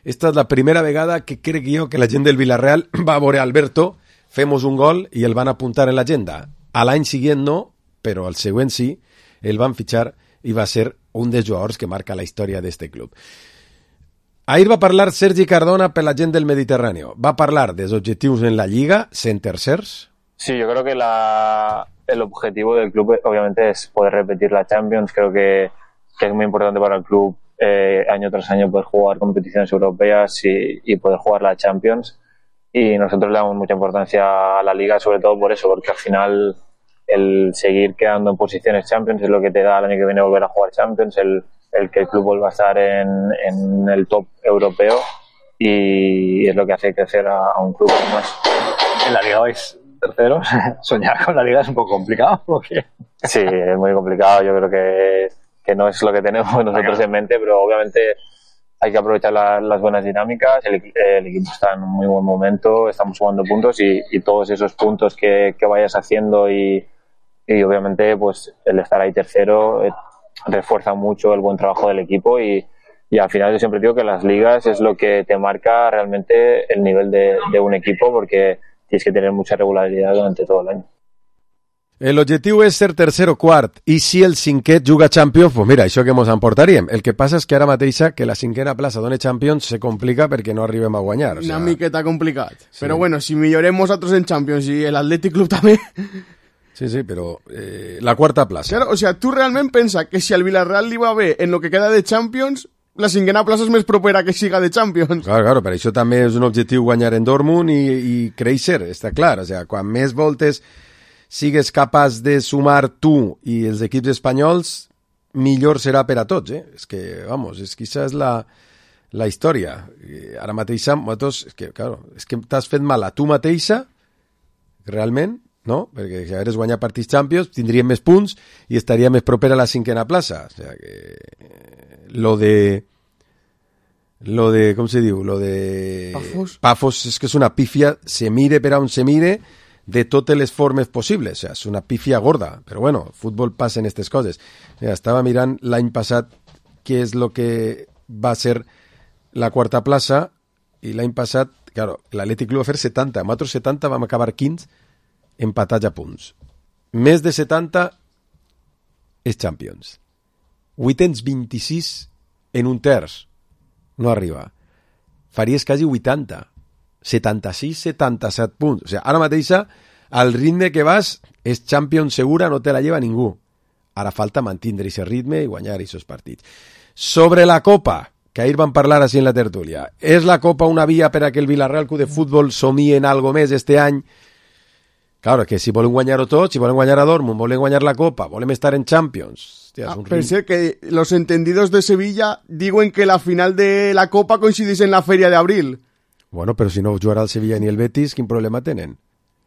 Esta és la primera vegada que crec jo que la gent del Villarreal va a veure Alberto, femos un gol i el van apuntar en l'agenda. A l'any següent no, però al següent sí, el van fitxar i va ser un dels jugadors que marca la història d'este club. Ahir va parlar Sergi Cardona per la gent del Mediterrani. Va parlar dels objetivos en la Lliga, sent tercers. Sí, yo creo que la, el objetivo del club obviamente es poder repetir la Champions. Creo que, que es muy importante para el club eh, año tras año poder jugar competiciones europeas y, y poder jugar la Champions. Y nosotros le damos mucha importancia a la Liga, sobre todo por eso, porque al final el seguir quedando en posiciones Champions es lo que te da el año que viene volver a jugar Champions, el el que el club vuelva a estar en, en el top europeo y es lo que hace crecer a, a un club como es. En la Liga vais terceros, soñar con la Liga es un poco complicado, ¿o qué? Sí, es muy complicado, yo creo que, que no es lo que tenemos nosotros en mente, pero obviamente hay que aprovechar la, las buenas dinámicas, el, el equipo está en un muy buen momento, estamos jugando puntos y, y todos esos puntos que, que vayas haciendo y, y obviamente pues el estar ahí tercero eh, refuerza mucho el buen trabajo del equipo y, y al final yo siempre digo que las ligas es lo que te marca realmente el nivel de, de un equipo porque tienes que tener mucha regularidad durante todo el año. El objectiu és ser tercer o quart, i si el cinquè juga Champions, pues mira, això que mos emportaríem. El que passa és que ara mateixa que la cinquena plaça dona Champions se complica perquè no arribem a guanyar. O sea... Una miqueta complicat. Sí. Però bueno, si millorem nosaltres en Champions i l'Atlètic Club també... Sí, sí, però eh, la quarta plaça. Claro, o sea, tu realment pensa que si al Villarreal li va bé en lo que queda de Champions, la cinquena plaça és més propera que siga de Champions. Claro, claro, per això també és un objectiu guanyar en Dortmund i, i créixer, està clar. O sea, quan més voltes sigues capaç de sumar tu i els equips espanyols, millor serà per a tots, eh? És que, vamos, és que això és la, la història. Ara mateixa, nosaltres, és que, claro, és que t'has fet mal a tu mateixa, realment, no? Perquè si hagués guanyat partits Champions tindríem més punts i estaria més proper a la cinquena plaça. O sea que lo de lo de, com se diu? Lo de Pafos. Pafos és que és una pífia, se mire per on se mire, de totes les formes possibles. O sea, és una pífia gorda, però bueno, futbol passa en aquestes coses. O sea, estava mirant l'any passat què és lo que va ser la quarta plaça i l'any passat, claro, l'Atlètic Club va fer setanta, amb altres setanta vam acabar quinze empatats a punts. Més de setanta és Champions. Vuitens vint-i-sis en un terç. No arriba. Faries quasi vuitanta. setanta-sis setanta-set punts. O sigui, ara mateixa, al ritme que vas, és Champions segura, no te la lleva ningú. Ara falta mantindre aquest ritme i guanyar aquests partits. Sobre la Copa, que ahir vam parlar així en la tertúlia, és la Copa una via per a que el Villarreal Club de Futbol somie en algo més este any? Claro, que si volen guanyar-ho tot, si volen guanyar a Dortmund, volen guanyar la Copa, volem estar en Champions. Hostia, ah, un pensé que los entendidos de Sevilla diuen que la final de la Copa coincidís en la feria de abril. Bueno, pero si no jugarà el Sevilla ni el Betis, ¿qué problema tenen?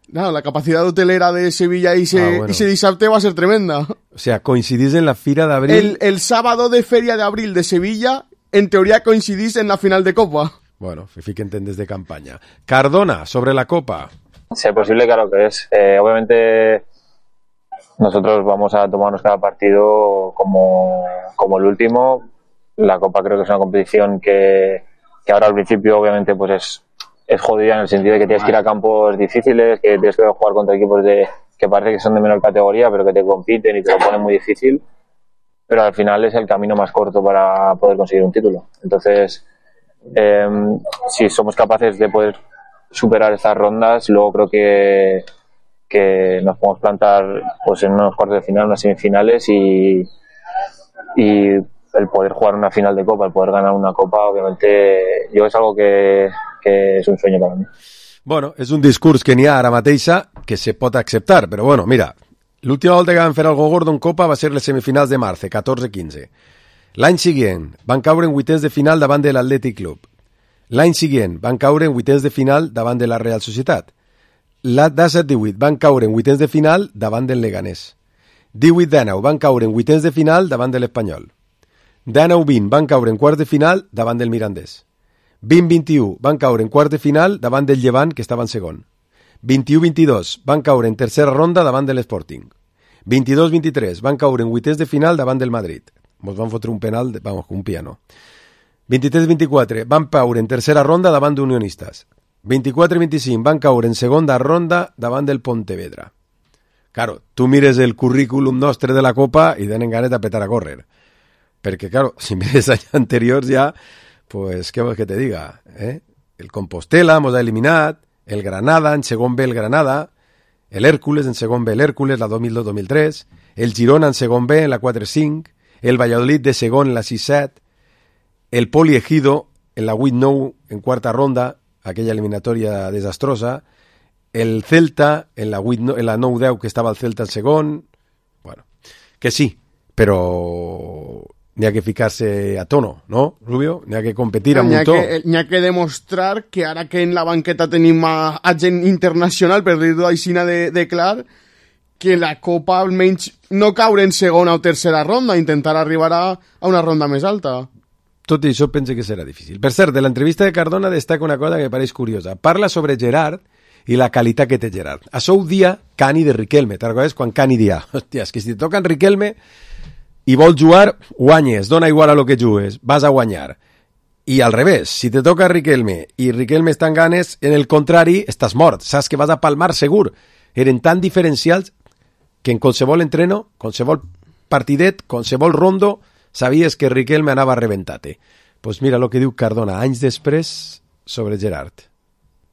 No, la capacidad hotelera de Sevilla y ese, ah, bueno. ese dissabte va a ser tremenda. O sea, coincidís en la Fira de Abril. El, el sábado de feria de abril de Sevilla, en teoría coincidís en la final de Copa. Bueno, fiquen desde campaña. Cardona, sobre la Copa. Si es posible, claro que es. Eh, obviamente nosotros vamos a tomarnos cada partido como, como el último. La Copa creo que es una competición que, que ahora al principio obviamente pues es, es jodida en el sentido de que tienes que ir a campos difíciles, que tienes que jugar contra equipos de, que parece que son de menor categoría pero que te compiten y te lo ponen muy difícil, pero al final es el camino más corto para poder conseguir un título. Entonces eh, si somos capaces de poder superar estas rondas, luego creo que, que nos podemos plantar pues en unos cuartos de final, unas semifinales y, y el poder jugar una final de Copa, el poder ganar una Copa, obviamente yo es algo que, que és un sueño para mí. Bueno, és un discurs que n'hi ha ara mateixa que se pot acceptar, però bueno, mira, l'última volta que van fer algo gordo en Copa va ser les semifinals de març, catorze quinze. L'any següent van caure en vuitens de final davant de l'Atlètic Club. L'any següent van caure en vuitens de final davant de la Real Societat. La disset divuit van caure en vuitens de final davant del Leganés. divuit dinou van caure en vuitens de final davant de l'Espanyol. dinou vint van caure en quarts de final davant del Mirandés. vint vint-i-u van caure en quarts de final davant del Llevant, que estava en segon. vint-i-u vint-i-dos van caure en tercera ronda davant de l'Sporting. vint-i-dos vint-i-tres van caure en vuitens de final davant del Madrid. Mos van fotre un penal, de, vamos, un piano. vint-i-tres vint-i-quatre van caure en tercera ronda davant d'Unionistes. vint-i-quatre vint-i-cinc van caure en segona ronda davant del Pontevedra. Claro, tu mires el currículum nostre de la Copa i tenen ganes d'apretar a córrer. Perquè, claro, si mires anys anteriors ja, pues, què vols que te diga? Eh? El Compostela mos ha eliminat, el Granada, en segon B el Granada, el Hércules, en segon B el Hércules, la dos mil dos dos mil tres, el Girona en segon B, en la quatre cinc, el Valladolid de segon en la sis set, el Poli Ejido en la vuit nou en quarta ronda, aquella eliminatòria desastrosa, el Celta en la, vuit, en la nou deu que estava el Celta en segon, bueno, que sí, però n'hi ha que ficar-se a tono, no, Rubio? N'hi ha que competir amb un to. N'hi ha que demostrar que ara que en la banqueta tenim a, a gent internacional, per dir-ho així de, de clar, que la Copa almenys no caure en segona o tercera ronda, intentar arribar a, a una ronda més alta. Tot i això pense que serà difícil. Per cert, de l'entrevista de Cardona destaca una cosa que me pareix curiosa. Parla sobre Gerard i la qualitat que té Gerard. Això ho dia Cani de Riquelme. Te'n recordes quan Cani dia? Hòstia, és que si te toca en Riquelme i vols jugar, guanyes. Dona igual a lo que jugues. Vas a guanyar. I al revés, si te toca Riquelme i Riquelme està en ganes, en el contrari, estàs mort. Saps que vas a palmar segur. Eren tan diferencials que en qualsevol entreno, qualsevol partidet, qualsevol rondo, sabies que Riquelme anava reventate. Pues mira lo que diu Cardona anys després sobre Gerard.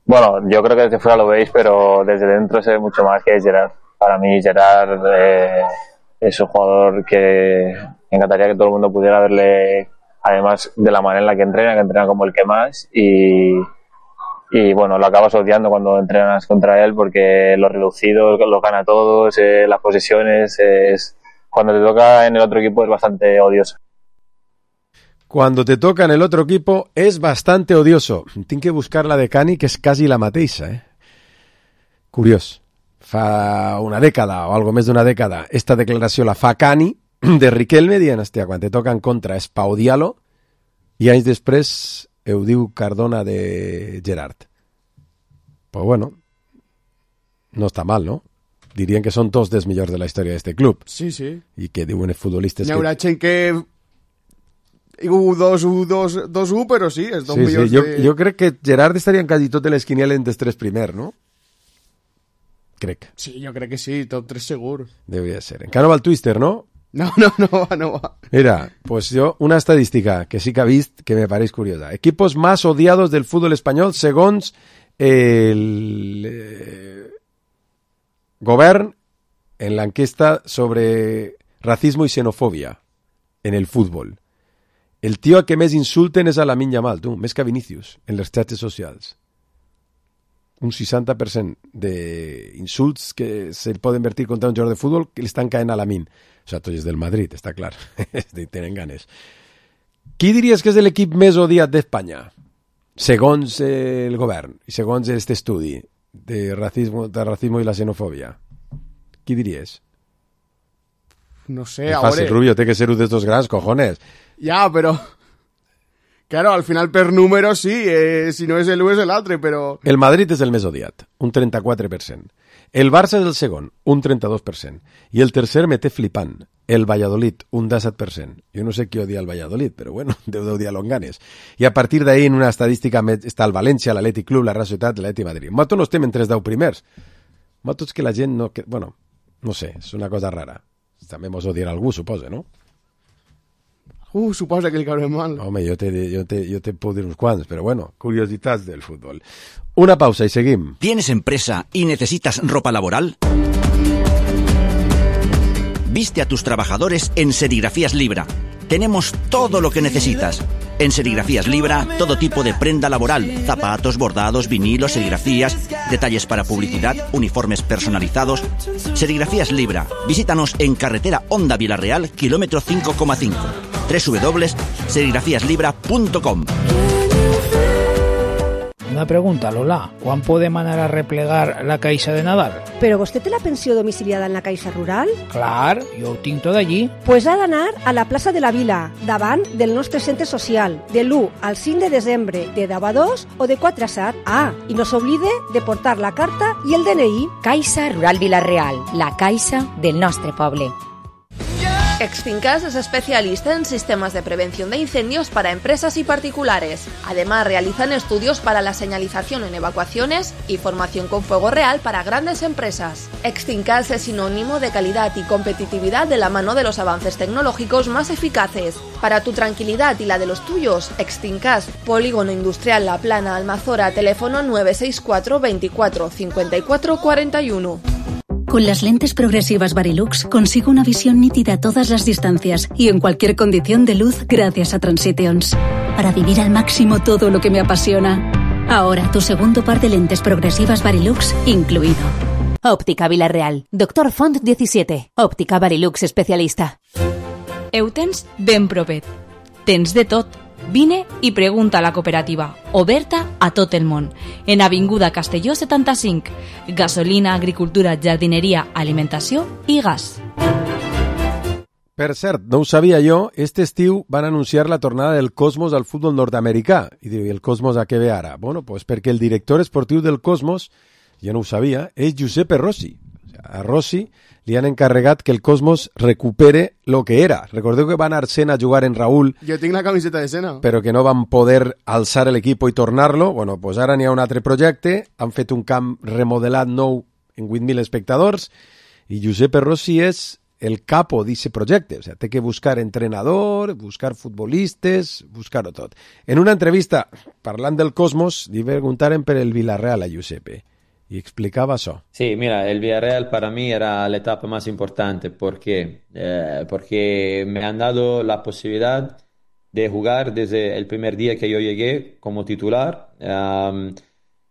Bueno, yo creo que desde fuera lo veis, pero desde dentro se ve mucho más que Gerard. Para mí Gerard eh, es un jugador que me encantaría que todo el mundo pudiera verle además de la manera en la que entrena, que entrena como el que más, y, y bueno, lo acabas odiando cuando entrenas contra él porque los reducidos los gana todos, eh, las posesiones, eh, es, cuando te toca en el otro equipo es bastante odioso. Cuando te toca en el otro equipo és bastante odioso. Tinc que buscar la de Cani, que és quasi la mateixa, eh? Curiós. Fa una dècada, o algo més d'una dècada, esta declaració la fa Cani de Riquelme, dient, hòstia, quan te toca en contra és pa odiar-lo, i anys després ho diu Cardona de Gerard. Pues bueno, no està mal, no? Dirien que són tots dels millors de la història d'este club. Sí, sí. I que diuen els futbolistes Hi haurà que... gent que... u dos u, dos u, però sí, és dos sí, millors sí. Jo, de... jo crec que Gerard estaria en quasi totes les quinieles dels tres primer, no? Crec. Sí, jo crec que sí, top tres segur. Deuria ser. Encara no va el Twister, no? No, no, no va, no va. Mira, pues yo, una estadística que sí que ha vist que me pareix curiosa. Equipos más odiados del fútbol espanyol segons el eh, govern en l'enquesta sobre racismo i xenofòbia en el futbol. El tio a que més insulten és a Lamine Yamal, tu, més que a Vinícius, en les xarxes socials. Un seixanta per cent d'insults que se poden vertir contra un jugador de futbol que li estan caent a Lamine. O sigui, tots és del Madrid, està clar. Tenen ganes. Qui diries que és l'equip més odiat d'Espanya? Segons el govern i segons aquest estudi de racismo, de racismo i la xenofòbia. Qui diries? No sé, és ahora... fàcil, Rubio, té que ser un d'estos grans, cojones. Ya, pero... Claro, al final per número sí, eh, si no és el u és l'altre, però... El Madrid és el més odiat, un trenta-quatre per cent. El Barça és el segon, un trenta-dos per cent. I el tercer me té flipant, el Valladolid, un disset per cent. Jo no sé qui odia el Valladolid, però bueno, deu d'odiar-lo amb ganes. I a partir d'ahí, en una estadística, està el València, l'Atlètic Club, la Real Societat, l'Atlètic Madrid. Mato no estem entre els deu primers. Mato és que la gent no... Que... Bueno, no sé, és una cosa rara. També mos odiarà algú, suposa, no? Uh, suposa que li caurem mal. Home, jo te, jo, te, jo te puedo dir uns quants, però bueno, curiositats del fútbol. Una pausa y seguim. ¿Tienes empresa y necesitas ropa laboral? Viste a tus trabajadores en Serigrafías Libra. Tenemos todo lo que necesitas. En Serigrafías Libra, todo tipo de prenda laboral, zapatos, bordados, vinilos, serigrafías, detalles para publicidad, uniformes personalizados. Serigrafías Libra. Visítanos en carretera Honda Vilarreal, kilómetro cinco coma cinco. doble u doble u doble u punto serigrafías libra punto com. Una pregunta, Lola. ¿Quan podem anar a replegar la caixa de Nadal? ¿Pero vostè té la pensió domiciliada en la Caixa Rural? Clar, jo ho tinc tot allí. Pues ha d'anar a la plaça de la Vila, davant del nostre centre social, de l'u al cinc de desembre, de deu a dos o de quatre a set. Ah, i no s'oblide de portar la carta i el D N I. Caixa Rural Vilarreal, la caixa del nostre poble. Extincas es especialista en sistemas de prevención de incendios para empresas y particulares. Además, realizan estudios para la señalización en evacuaciones y formación con fuego real para grandes empresas. Extincas es sinónimo de calidad y competitividad de la mano de los avances tecnológicos más eficaces. Para tu tranquilidad y la de los tuyos, Extincas, Polígono Industrial La Plana, Almazora, teléfono nueve seis cuatro veinticuatro cincuenta y cuatro cuarenta y uno. Con las lentes progresivas Varilux consigo una visión nítida a todas las distancias y en cualquier condición de luz gracias a Transitions. Para vivir al máximo todo lo que me apasiona. Ahora tu segundo par de lentes progresivas Varilux incluido. Óptica Vilarreal. Doctor Font diecisiete. Óptica Varilux especialista. Heu tens ben propet. Tens de tot. Vine i pregunta a la cooperativa, oberta a tot el món, en Avinguda Castelló setanta-cinc. Gasolina, agricultura, jardineria, alimentació i gas. Per cert, no ho sabia jo, este estiu van anunciar la tornada del Cosmos al futbol nord-americà. I diu, i el Cosmos a què ve ara? Bueno, pues perquè el director esportiu del Cosmos, jo no ho sabia, és Giuseppe Rossi. A Rossi li han encarregat que el Cosmos recupere lo que era. Recordeu que va anar Sena a jugar en Raúl... Jo tinc la camiseta de Sena. Però que no van poder alçar l'equip i tornar-lo. Bueno, pues ara n'hi ha un altre projecte. Han fet un camp remodelat nou en vuit mil espectadors i Giuseppe Rossi és el capo d'aquest projecte. O sea, té que buscar entrenador, buscar futbolistes, buscar-ho tot. En una entrevista, parlant del Cosmos, li preguntaren per el Villarreal a Giuseppe. Y explicaba eso. Sí, mira, el Villarreal para mí era la etapa más importante porque, eh, porque me han dado la posibilidad de jugar desde el primer día que yo llegué como titular. Um,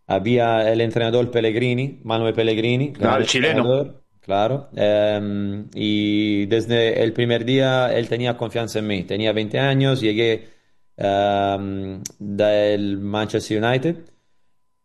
había el entrenador Pellegrini, Manuel Pellegrini. Claro, el chileno. Claro. Um, y desde el primer día él tenía confianza en mí. Tenía veinte años, llegué um, del Manchester United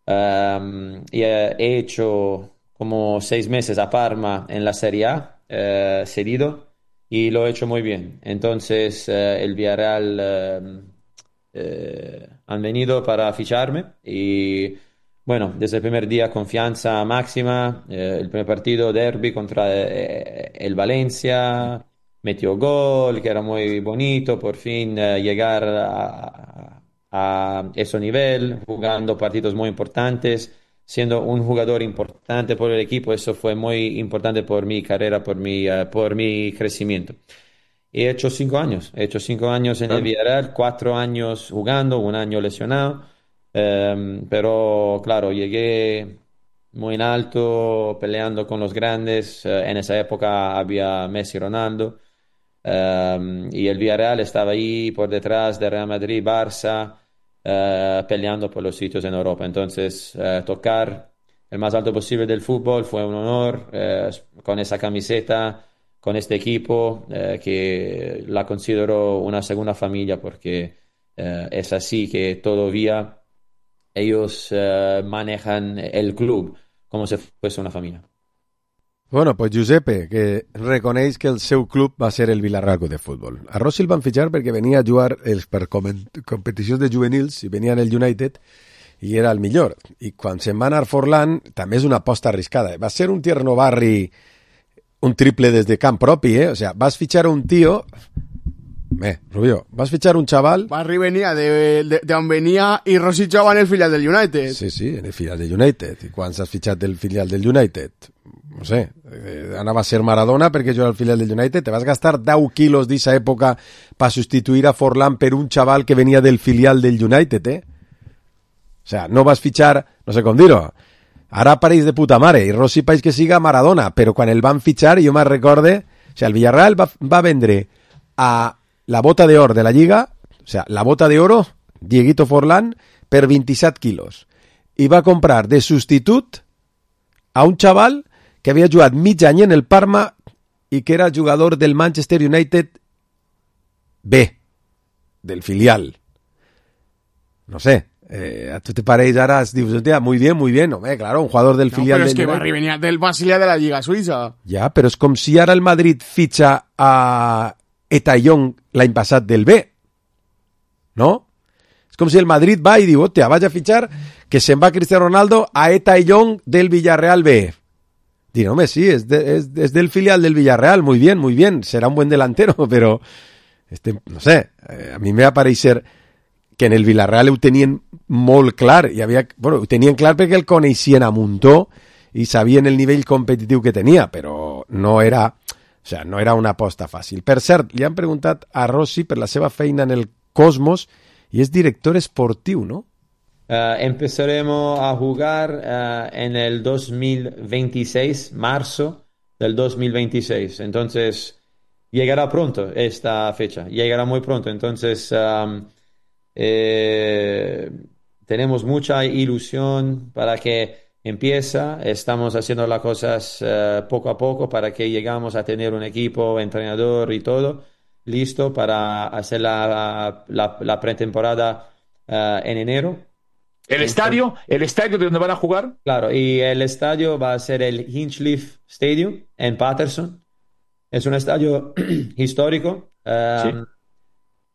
um, y he hecho como seis meses a Parma en la Serie A, uh, cedido, y lo he hecho muy bien. Entonces uh, el Villarreal uh, uh, han venido para ficharme y bueno, desde el primer día confianza máxima. Eh, el primer partido derby contra eh, el Valencia, metió gol, que era muy bonito, por fin eh, llegar a, a ese nivel, jugando partidos muy importantes, siendo un jugador importante por el equipo. Eso fue muy importante por mi carrera, por mi, uh, por mi crecimiento. He hecho cinco años, he hecho cinco años en claro. el Villarreal, cuatro años jugando, un año lesionado. Um, pero claro, llegué muy en alto, peleando con los grandes. Uh, en esa época había Messi, Ronaldo, um, y el Villarreal estaba ahí por detrás de Real Madrid, Barça, uh, peleando por los sitios en Europa. Entonces uh, tocar el más alto posible del fútbol fue un honor, uh, con esa camiseta, con este equipo, uh, que la considero una segunda familia, porque uh, es así que todavía ellos uh, manejan el club como si fuese una familia. Bueno, pues Giuseppe, que reconeix que el seu club va ser el Villarreal Club de Futbol. A Rossi el van fitxar perquè venia a jugar els, per competicions de juvenils i venia en el United i era el millor. I quan se'n va anar Forlán, també és una aposta arriscada. Va ser un tierno barri, un triple des de camp propi, eh? O sea, vas fitxar un tío... Bé, Rubio, vas fitxar un chaval... Barry venia de, de, de on venia i Rossi jugava en el filial del United. Sí, sí, en el filial del United. I quan s'has fitxat del filial del United? No sé, eh, anava a ser Maradona perquè jo era el filial del United. Te vas gastar deu quilos d'esa època per substituir a Forlán per un chaval que venia del filial del United, eh? O sea, no vas fitxar, no sé com dir-ho, ara pareix de puta mare, i Rossi pareix que siga Maradona, però quan el van fitxar, jo me'n recorde, o sea, el Villarreal va, va vendre a la bota de oro de la Lliga, o sea, la bota de oro, Dieguito Forlán, per vint-i-set quilos. I va comprar de substitut a un chaval que havia jugat mig any en el Parma i que era jugador del Manchester United B, del filial. No sé, eh, a tu te pareix ara, dius, muy bien, muy bien, hombre, claro, un jugador del no, filial pero del es que United. Barry venía del Basilea de la Liga Suiza. Ja, però és com si ara el Madrid fitxa a Etayón l'any passat del B, no? És com si el Madrid va i diu, hòstia, vaig a fitxar que se'n va Cristiano Ronaldo a Etayón del Villarreal B. Diré, home, sí, és, de, és, és del filial del Villarreal, muy bien, muy bien, serà un buen delantero, però, este, no sé, a mi me va parecer que en el Villarreal ho tenien molt clar, i havia, bueno, ho tenien clar perquè el coneixien a muntó i sabien el nivell competitiu que tenia, però no era... O sea, no era una aposta fàcil. Per cert, li han preguntat a Rossi per la seva feina en el Cosmos i és director esportiu, ¿no? Uh, empezaremos a jugar uh, en el dos mil veintiséis, marzo del dos mil veintiséis. Entonces, llegará pronto esta fecha. Llegará muy pronto. Entonces, um, eh, tenemos mucha ilusión para que empieza, estamos haciendo las cosas uh, poco a poco para que llegamos a tener un equipo, entrenador y todo listo para hacer la, la, la pretemporada uh, en enero. ¿El estadio? ¿El estadio de donde van a jugar? Claro, y el estadio va a ser el Hinchliffe Stadium en Paterson. Es un estadio histórico. Um, sí.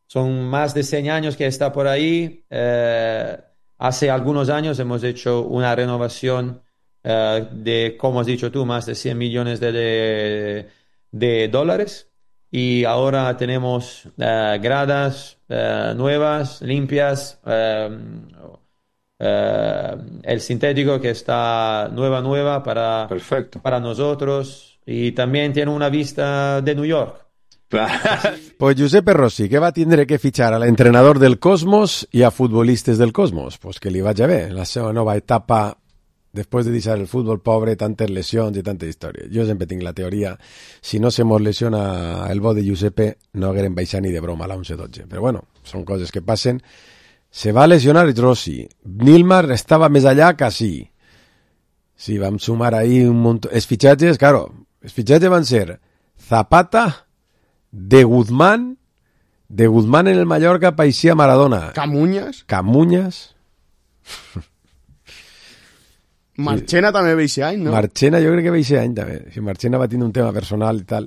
Son más de cien años que está por ahí. Uh, Hace algunos años hemos hecho una renovación uh, de, como has dicho tú, más de cien millones de, de, de dólares. Y ahora tenemos uh, gradas uh, nuevas, limpias. Uh, uh, el sintético que está nueva, nueva para, Perfecto. para nosotros. Y también tiene una vista de New York. Pues Giuseppe Rossi, que va tindre que fitxar a l'entrenador del Cosmos i a futbolistes del Cosmos, pues que li vagi bé la seva nova etapa Después de deixar el fútbol pobre, tantes lesions i tantes històries. Jo sempre tinc la teoria, si no se mos lesiona el bo de Giuseppe, no haguérem baixat ni de broma a la onze dotze. Però bueno, són coses que passen. Se va lesionar Rossi. Nilmar estava més allà que sí. Sí, vam sumar ahí un montón. Els fitxatges, claro, els fitxatges van ser Zapata, de Guzmán, de Guzmán en el Mallorca paixia Maradona. Camuñas. Camuñas. Marchena també va eixe any, no? Marchena jo crec que va eixe any també. Si Marchena va tenir un tema personal i tal.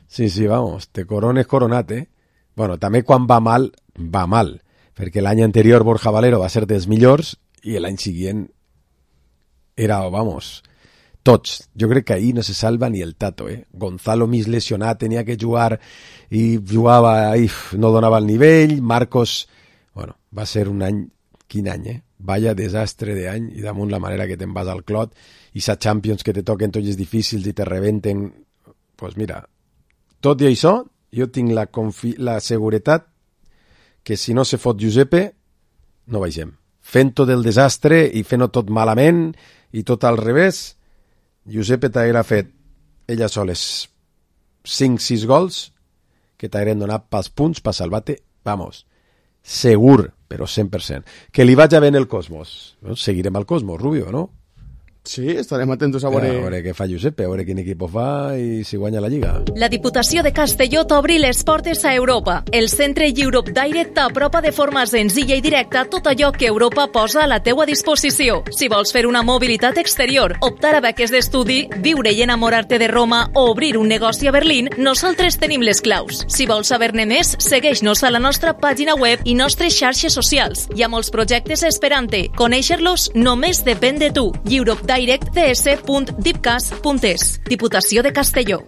Sí, sí, vamos, te corones coronat, eh? Bueno, també quan va mal, va mal. Perquè l'any anterior Borja Valero va ser dels millors i l'any següent era, vamos, tots. Jo crec que ahir no se salva ni el Tato, eh? Gonzalo mig lesionat, tenia que jugar i jugava, i no donava el nivell. Marcos, bueno, va ser un any, quin any, eh? Vaya desastre d'any i damunt la manera que te'n vas al clot i sa Champions que te toquen tots els difícils i te rebenten. Pues mira, tot i això, jo tinc la, confi la seguretat que si no se fot Giuseppe, no baixem. Fent-ho del desastre i fent-ho tot malament i tot al revés, Giuseppe t'haguera fet ella soles cinc sis gols que t'hagueren donat pels punts per salvar-te, vamos, segur, però cent per cent. Que li vaig a ben el Cosmos. No? Seguirem al Cosmos, Rubio, no? Sí, estarem atentos a veure... A veure què fa Giuseppe, a veure quin equip fa i si guanya la Lliga. La Diputació de Castelló t'obri les portes a Europa. El centre Europe Direct t'apropa de forma senzilla i directa tot allò que Europa posa a la teua disposició. Si vols fer una mobilitat exterior, optar a beques d'estudi, viure i enamorar-te de Roma o obrir un negoci a Berlín, nosaltres tenim les claus. Si vols saber-ne més, segueix-nos a la nostra pàgina web i nostres xarxes socials. Hi ha molts projectes esperant-te. Conèixer-los només depèn de tu. Europe direct d s punt dipcas punt es. Diputació de Castelló.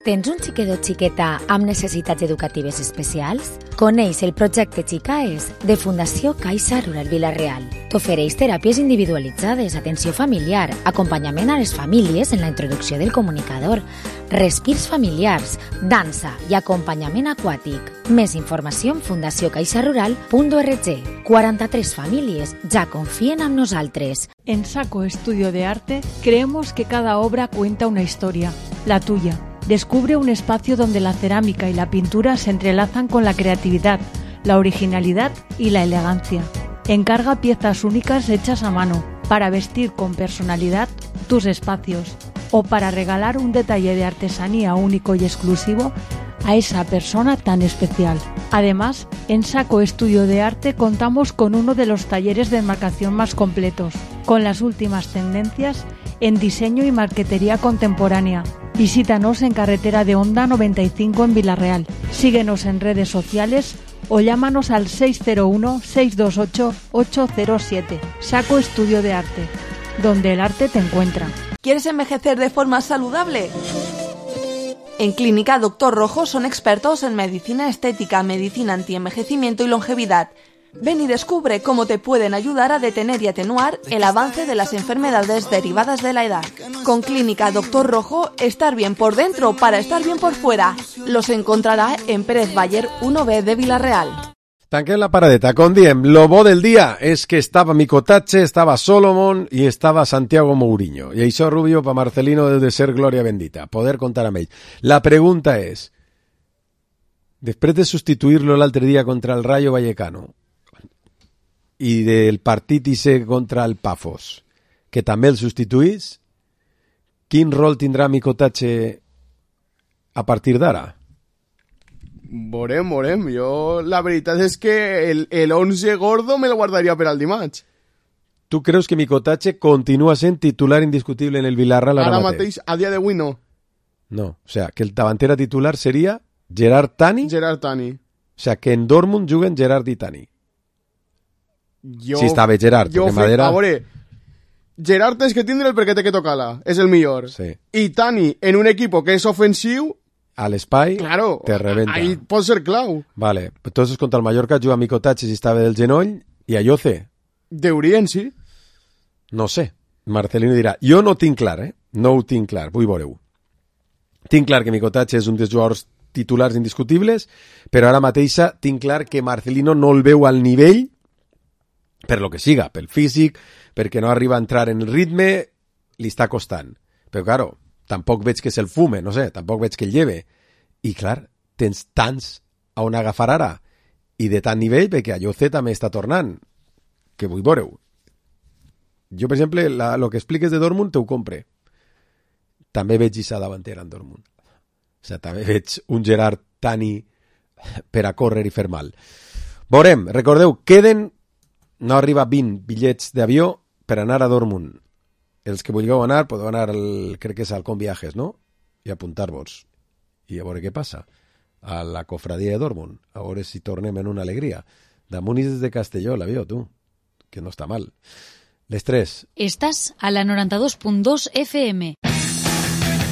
Tens un xiquet o xiqueta amb necessitats educatives especials? Coneix el projecte Xicaes de Fundació Caixa Rural Vila-real. T'ofereix teràpies individualitzades, atenció familiar, acompanyament a les famílies en la introducció del comunicador, respirs familiars, dansa i acompanyament aquàtic. Més informació en fundació caixa rural punt org. quaranta-tres famílies ja confien en nosaltres. En Saco Estudio de Arte creemos que cada obra cuenta una historia, la tuya. Descubre un espacio donde la cerámica y la pintura se entrelazan con la creatividad, la originalidad y la elegancia. Encarga piezas únicas hechas a mano para vestir con personalidad tus espacios o para regalar un detalle de artesanía único y exclusivo a esa persona tan especial. Además, en Saco Estudio de Arte contamos con uno de los talleres de enmarcación más completos, con las últimas tendencias en diseño y marquetería contemporánea. Visítanos en Carretera de Honda noventa y cinco en Vila-real. Síguenos en redes sociales o llámanos al seis cero uno, seis dos ocho, ocho cero siete. Saco Estudio de Arte, donde el arte te encuentra. ¿Quieres envejecer de forma saludable? En Clínica Doctor Rojo son expertos en medicina estética, medicina antienvejecimiento y longevidad. Ven y descubre cómo te pueden ayudar a detener y atenuar el avance de las enfermedades derivadas de la edad. Con Clínica Doctor Rojo, estar bien por dentro para estar bien por fuera. Los encontrará en Pérez Bayer uno B de Vila-real. Tanquem la paradeta. Com diem, lo bo del dia és que estava Micotache, estava Solomon i estava Santiago Mourinho. I això, Rubio, pa Marcelino deu de ser glòria bendita, poder contar amb ell. La pregunta és, després de substituir-lo l'altre dia contra el Rayo Vallecano i del partit ise contra el Pafos, que també el substituís, quin rol tindrà Micotache a partir d'ara? Veurem, veurem. Jo, la veritat és que el, el once gordo me lo guardaria per al dimarts. Tu creus que Micotache continua sent titular indiscutible en el Villarreal ara, ara mateix? mateix? A dia d'avui no. No, o sea, que el davantera titular seria Gerard Tani? Gerard Tani. O sea, que en Dortmund juguen Gerard i Tani. Jo, si està bé Gerard, jo perquè Madera... A veure, Gerard tens que tindre el perquè té que tocar-la, és el millor. Sí. I Tani, en un equip que és ofensiu, a l'espai, claro, te rebenta. Ahí pot ser clau. Vale, entonces contra el Mallorca juga Micotache si estava del genoll i a Yoce. Deurien, sí. No sé, Marcelino dirà. Jo no tinc clar, eh? No ho tinc clar, vull veure-ho. Tinc clar que Micotache és un dels jugadors titulars indiscutibles, però ara mateixa tinc clar que Marcelino no el veu al nivell per lo que siga, pel físic, perquè no arriba a entrar en el ritme, li està costant. Però, claro, tampoc veig que se'l fume, no sé, tampoc veig que el lleve. I, clar, tens tants a on agafar ara, i de tant nivell, perquè Ayoce també està tornant, que vull veure-ho. Jo, per exemple, la, lo que expliques de Dortmund te ho compre. També veig Issa davantera en Dortmund. O sigui, també veig un Gerard Tani per a córrer i fer mal. Veurem, recordeu, queden, no arriba vint bitllets d'avió per anar a Dortmund. Els que vulgueu anar, podeu anar, al, crec que és al Com Viajes, no? I apuntar-vos. I a veure què passa. A la cofradia de Dortmund. A veure si tornem en una alegria. Damunt és de Castelló, l'avió, tu. Que no està mal. Les tres. Estàs a la noranta-dos punt dos F M.